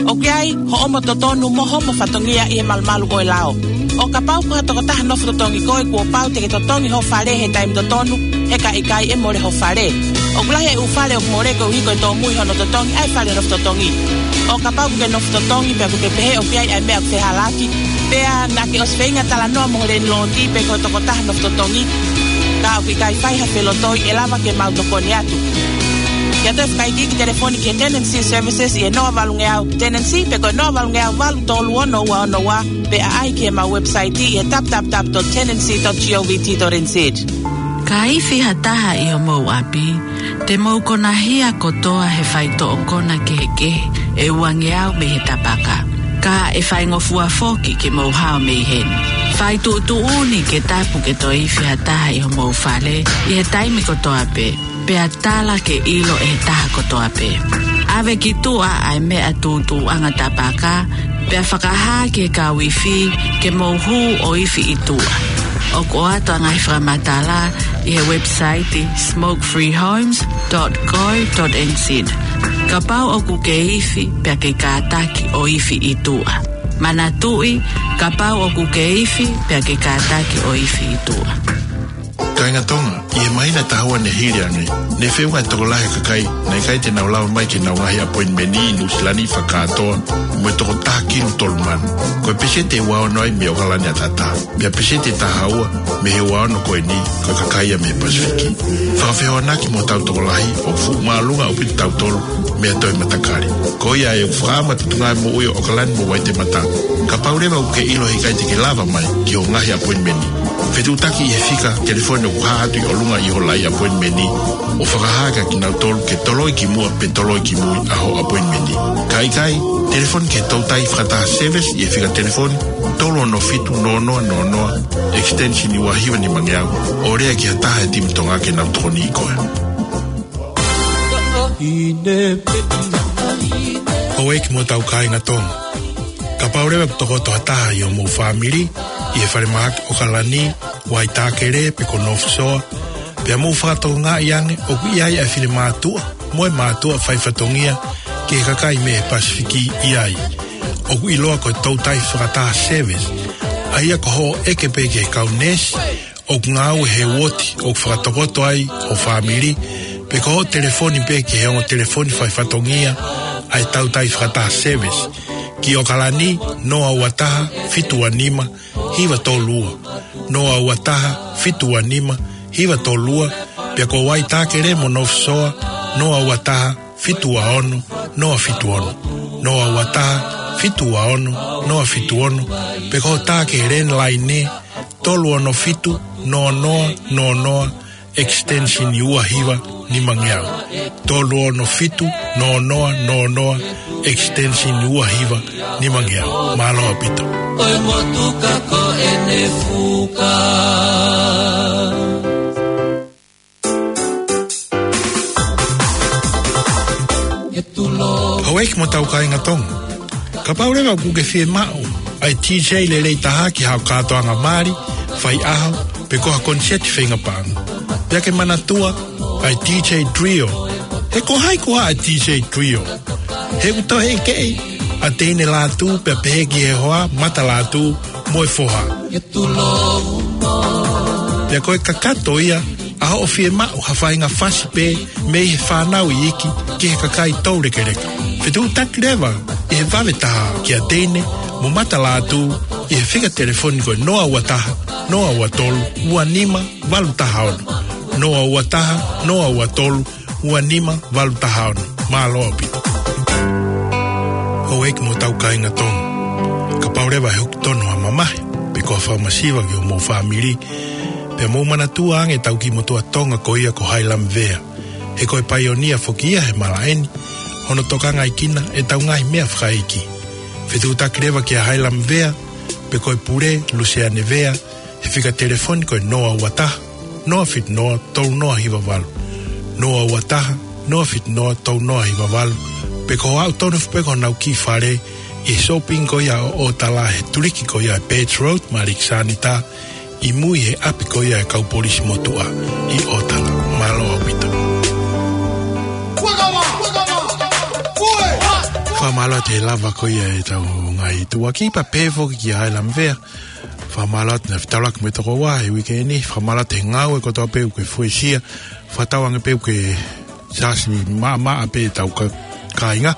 ʻoku ʻi ai hoʻomo totonu mo hoʻomo fatongia ʻi he malumalu ʻo e lao. ʻO kapau ko ha tokotaha nofo totongi koe, kuo pau te ke totongi hoʻo fale he taimi totonu, he ka ʻikai ʻe mole hoʻo fale. ʻOku lahi e ʻū fale ʻoku mole koeʻuhi ko e tōmui hono totongi ʻa e fale nofo totongi. ʻO kapau ʻoku ke nofo totongi pea ʻoku ke pehē ʻoku ʻi ai ʻa e meʻa ʻoku fehālaaki, pea naʻa ke ʻosi feinga talanoa mo ho landlord pe ko e tokotaha nofo totongi, ka ʻoku ʻikai fai ha felotoi, ʻe lava ke mau tokoni atu. Ke ʻoatu e fakaikiiki telefoni ki he Tenancy Services ʻi he noa valungeau tenancy pe ko e noa valungeau valu tolu ono ua ono ua, pe ʻaʻahi ki heʻemau website ʻi he w w w dot tenancy dot govt dot n z. Ka ifi ha taha ʻi homou ʻapi, te mou konahia kotoa he faitoʻo kona kehekehe ʻe uangeau mei he tapaka. Ka ʻe faingofua foki ke mou hao mei heni. Fai tuʻutuʻuni ke tapu ke toe ifi ha taha ʻi homou fale ʻi he taimi kotoa pē, pea tala ke ʻilo ʻe he taha kotoa pē. ʻAve ki tuʻa ʻa e meʻa tūtūʻanga tapaka, pea fakahā ki he kau ifi ke mou hū ʻo ifi ʻi tuʻa. ʻOku ʻoatu ʻa e ngaahi fakamatala ʻi he website smoke free homes dot co dot N Z. Kapau ʻoku ke ifi pea ke kātaki ʻo ifi ʻi tuʻa. Manatuʻi, kapau ʻoku ke ifi pea ke kātaki ʻo ifi ʻi tuʻa. Kāinga Tonga, ʻi he māhina ʻe taha ua ne hili ange, ne feʻunga e tokolahi ʻo e kakai naʻe ʻikai te nau lava mai ki heʻenau ngaahi appointment ʻi Nuʻusila ni fakakātoa mo e toko taha kilu tolu mano. Ko e peseti ʻe ua ono ai mei ʻOkalani ʻataʻatā. Pea peseti ʻe taha ua mei he ua ono ko eni, ko e kakai ia mei he Pasifiki. Fakafehoanaki mo hotau tokolahi, ʻoku fuʻu māʻolunga ʻaupito kitautolu mei ha toe matakali. Ko ia ʻoku fakaʻamu ʻa e Potungāue Moʻui ʻo ʻOkalani mo Waitemata. Kapau leva ʻoku ke ʻilo he ʻikai te ke lava mai ki hoʻo ngaahi appointment, fetuʻutaki ʻi he fika telefoni ʻoku hā atu ʻi ʻolunga ʻi ho laʻi appointment, ʻo fakahā kia kinautolu ke toloi ki muʻa pe toloi ki mui ʻa hoʻo appointment. Ka ʻikai, telefoni ki he toutai fakataha service ʻi he fika telefoni tolu ono fitu noa noa noa noa, extension ua hiva nimangeau, ʻo lea ki ha taha he timi Tonga ke nau tokoniʻi koe. Houʻeiki mo hotau kāinga Tonga. Kapau leva ʻoku tokoto ha taha ʻi hoʻomou fāmili ʻi he falemahaki ʻOkalani, Waitākele pe ko North Shore, pea mou fakatokangaʻi ange ʻoku ʻi ai ʻa e finemātuʻa mo e mātuʻa faifatongia ki he kakai mei he Pasifiki ʻi ai, ʻoku ʻiloa ko e toutai fakataha service, ʻa ia ko hoʻo ʻeke pē ki he kau neesi ʻoku ngāue he uooti ʻoku fakatokoto ai ho fāmili, pe ko hoʻo telefoni pē ki he ongo telefoni faifatongia ʻa e toutai fakataha service, ki ʻOkalani, noa ua taha fitu ua nima hiva tolu ua, noa ua taha fitu ua nima hiva tolu ua, pea ko Waitākele mo North Shore, noa ua taha fitu ua ono noa fitu ono, noa ua taha fitu ua ono noa fitu ono, pe ko hoʻo tā ki he landline tolu ono fitu noa noa noa noa, extension ua hiva nimangeau. Tolu ono fitu noa noa noa noa, extension ua hiva nimangeau. Mālō ʻaupito. ʻOi motuka ko ʻene fuka. Houʻeiki mo hotau kāinga Tonga. Kapau leva ʻoku ke fiemaʻu ʻa e DJ lelei taha ki haʻo kātoanga mali, faiʻaho, pe ko ha koniseti feinga paʻanga, pea ke manatua ʻa e DJ Trio. He ko hai koā ʻa e DJ Trio? He ʻoku toe ʻekeʻi ʻa Teine Lātū pea pehē ki he hoa, Mata Lātū mo e foha. Pea ko e kakato ia ʻa hoʻo fiemaʻu ha faʻahinga fasi pē mei he fānau iiki ki he kakai toulekeleka. Fetuʻutaki leva ʻi he vave taha kia Teine mo Mata Lātū ʻi he fika telefoni ko e noa ua taha noa ua tolu ua nima valu taha ono, noa ua taha noa ua tolu ua nima valu taha ono. Mālō ʻaupito. Houʻeiki mo hotau kāinga Tonga. Kapau leva ʻe hoko tonu ha mamahi pe ko ha fakamasiva ki hoʻomou fāmili, pea mou manatua ange ʻetau kiʻi motuʻa Tonga ko ia ko Hailamvea. He ko e paionia foki ia he malaʻe ni, hono tokangaʻi kinautolu ʻe heʻetau ngaahi meʻa fakaʻeiki. Fetuʻutaki leva kia Hailamvea pe ko e pule, Luseane Vea, he fika telefoni ko e noa ua taha noa fitu noa tolu noa hiva valu, noa ua taha noa fitu noa tolu noa hiva valu, pe ko e aʻu tonu foki pē ki honau kiʻi fale ʻi he shopping ko ia ʻo ʻOtala he tuliki ko ia ʻa e Birch Road mo Alexander, ʻi mui he ʻapi ko ia ʻa e kau polisi motuʻa ʻi ʻOtala. Mālō ʻaupito. Fakamālō atu he lava ko ia ʻetau ngaahi tuʻuaki pea pehē foki kia Hailamvea. Fakamālō atu naʻe fetaulaki mo e tokoua he uike ni. Fakamālō atu he ngāue kotoa pē ʻoku ke fuesia. Fakatauange pē ʻoku ke sasi maʻamaʻa pē ʻetau ka-, kāinga.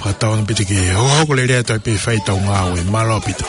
Fakatauange pē te ke hokohoko lelei atu ai pē fai ʻetau ngāue. Mālō ʻaupito.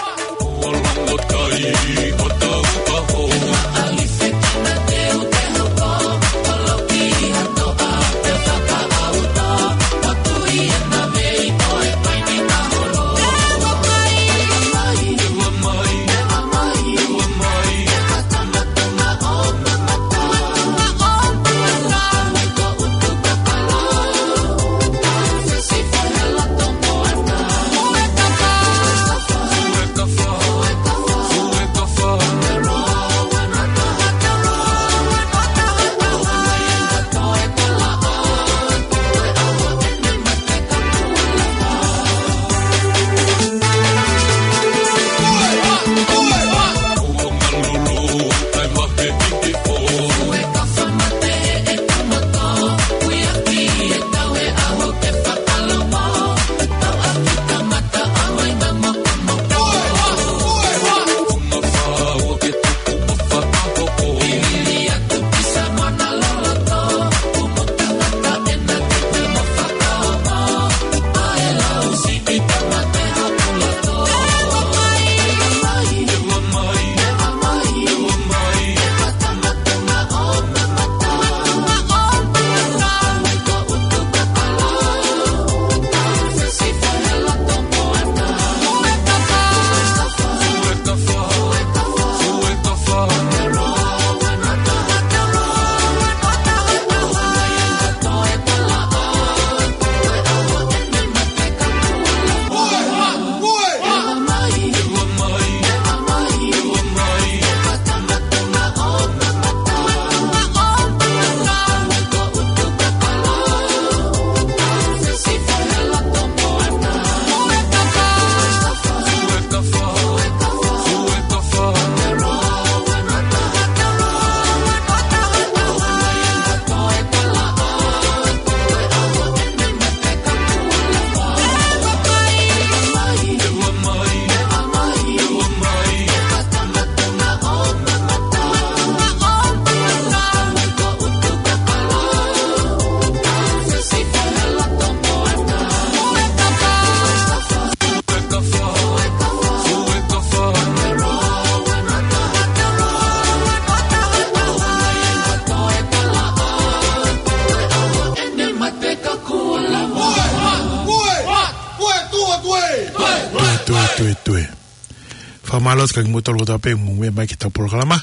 Mālō atu kiate kimoutolu kotoa pē mou meʻa mai ki heʻetau polokalama.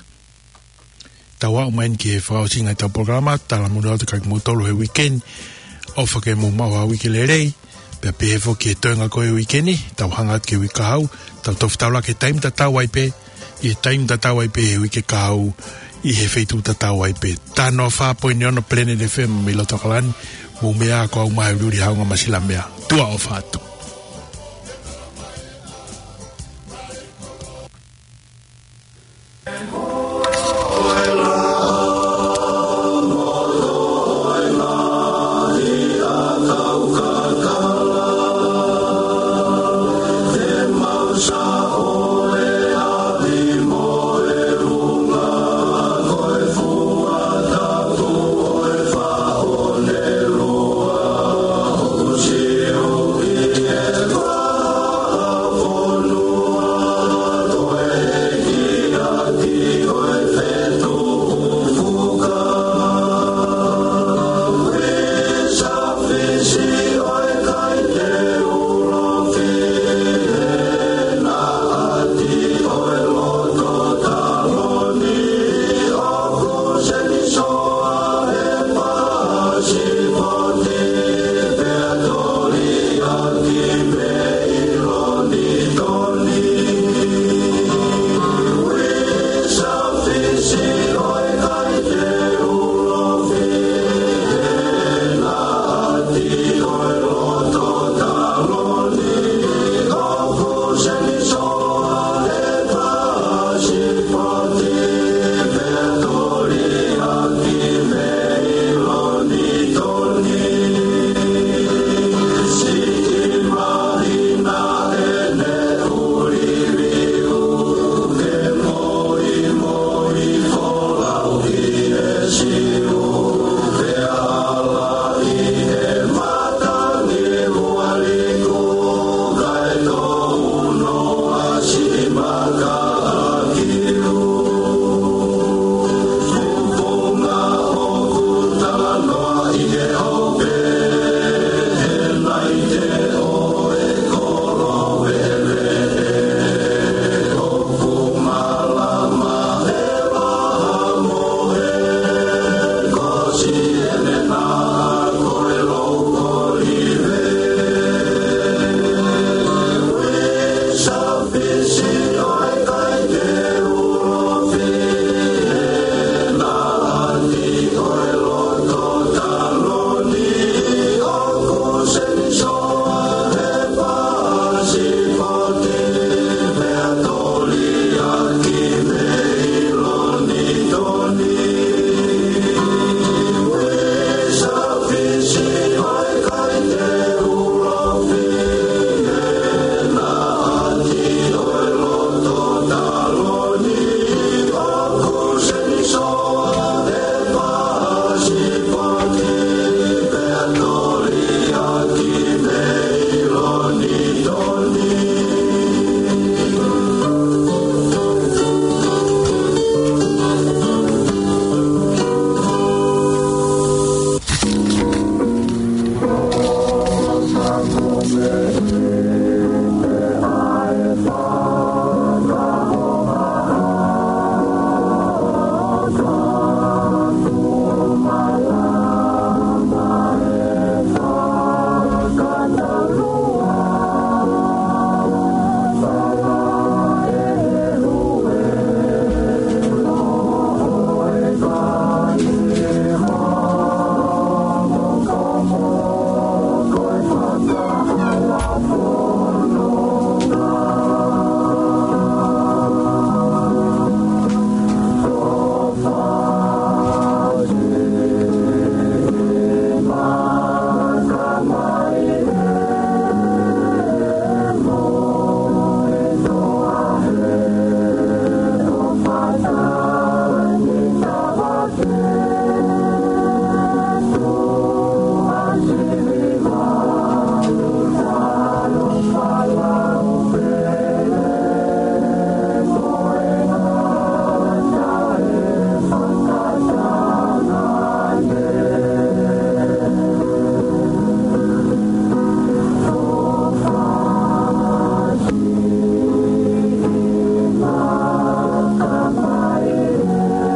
Tau aʻu mai eni ki he fakaʻosinga ʻetau polokalama, talamonū atu kiate kimoutolu he uike ni. ʻOfa ke mou maʻu ha uike lelei. Pea pehē foki ki he toenga ko ē uike ni, tau hanga atu ki he uike kahaʻu, tau toki fetaulaki he taimi tatau ai pē, ʻi he taimi tatau ai pē he uike kahaʻu, ʻi he feituʻu tatau ai pē. Taha noa fā poini ono Planet F M mei loto ʻAokalani, mou meʻa ā, ko au Maheuli Haunga Masilamea. Tuʻa ʻofa atu.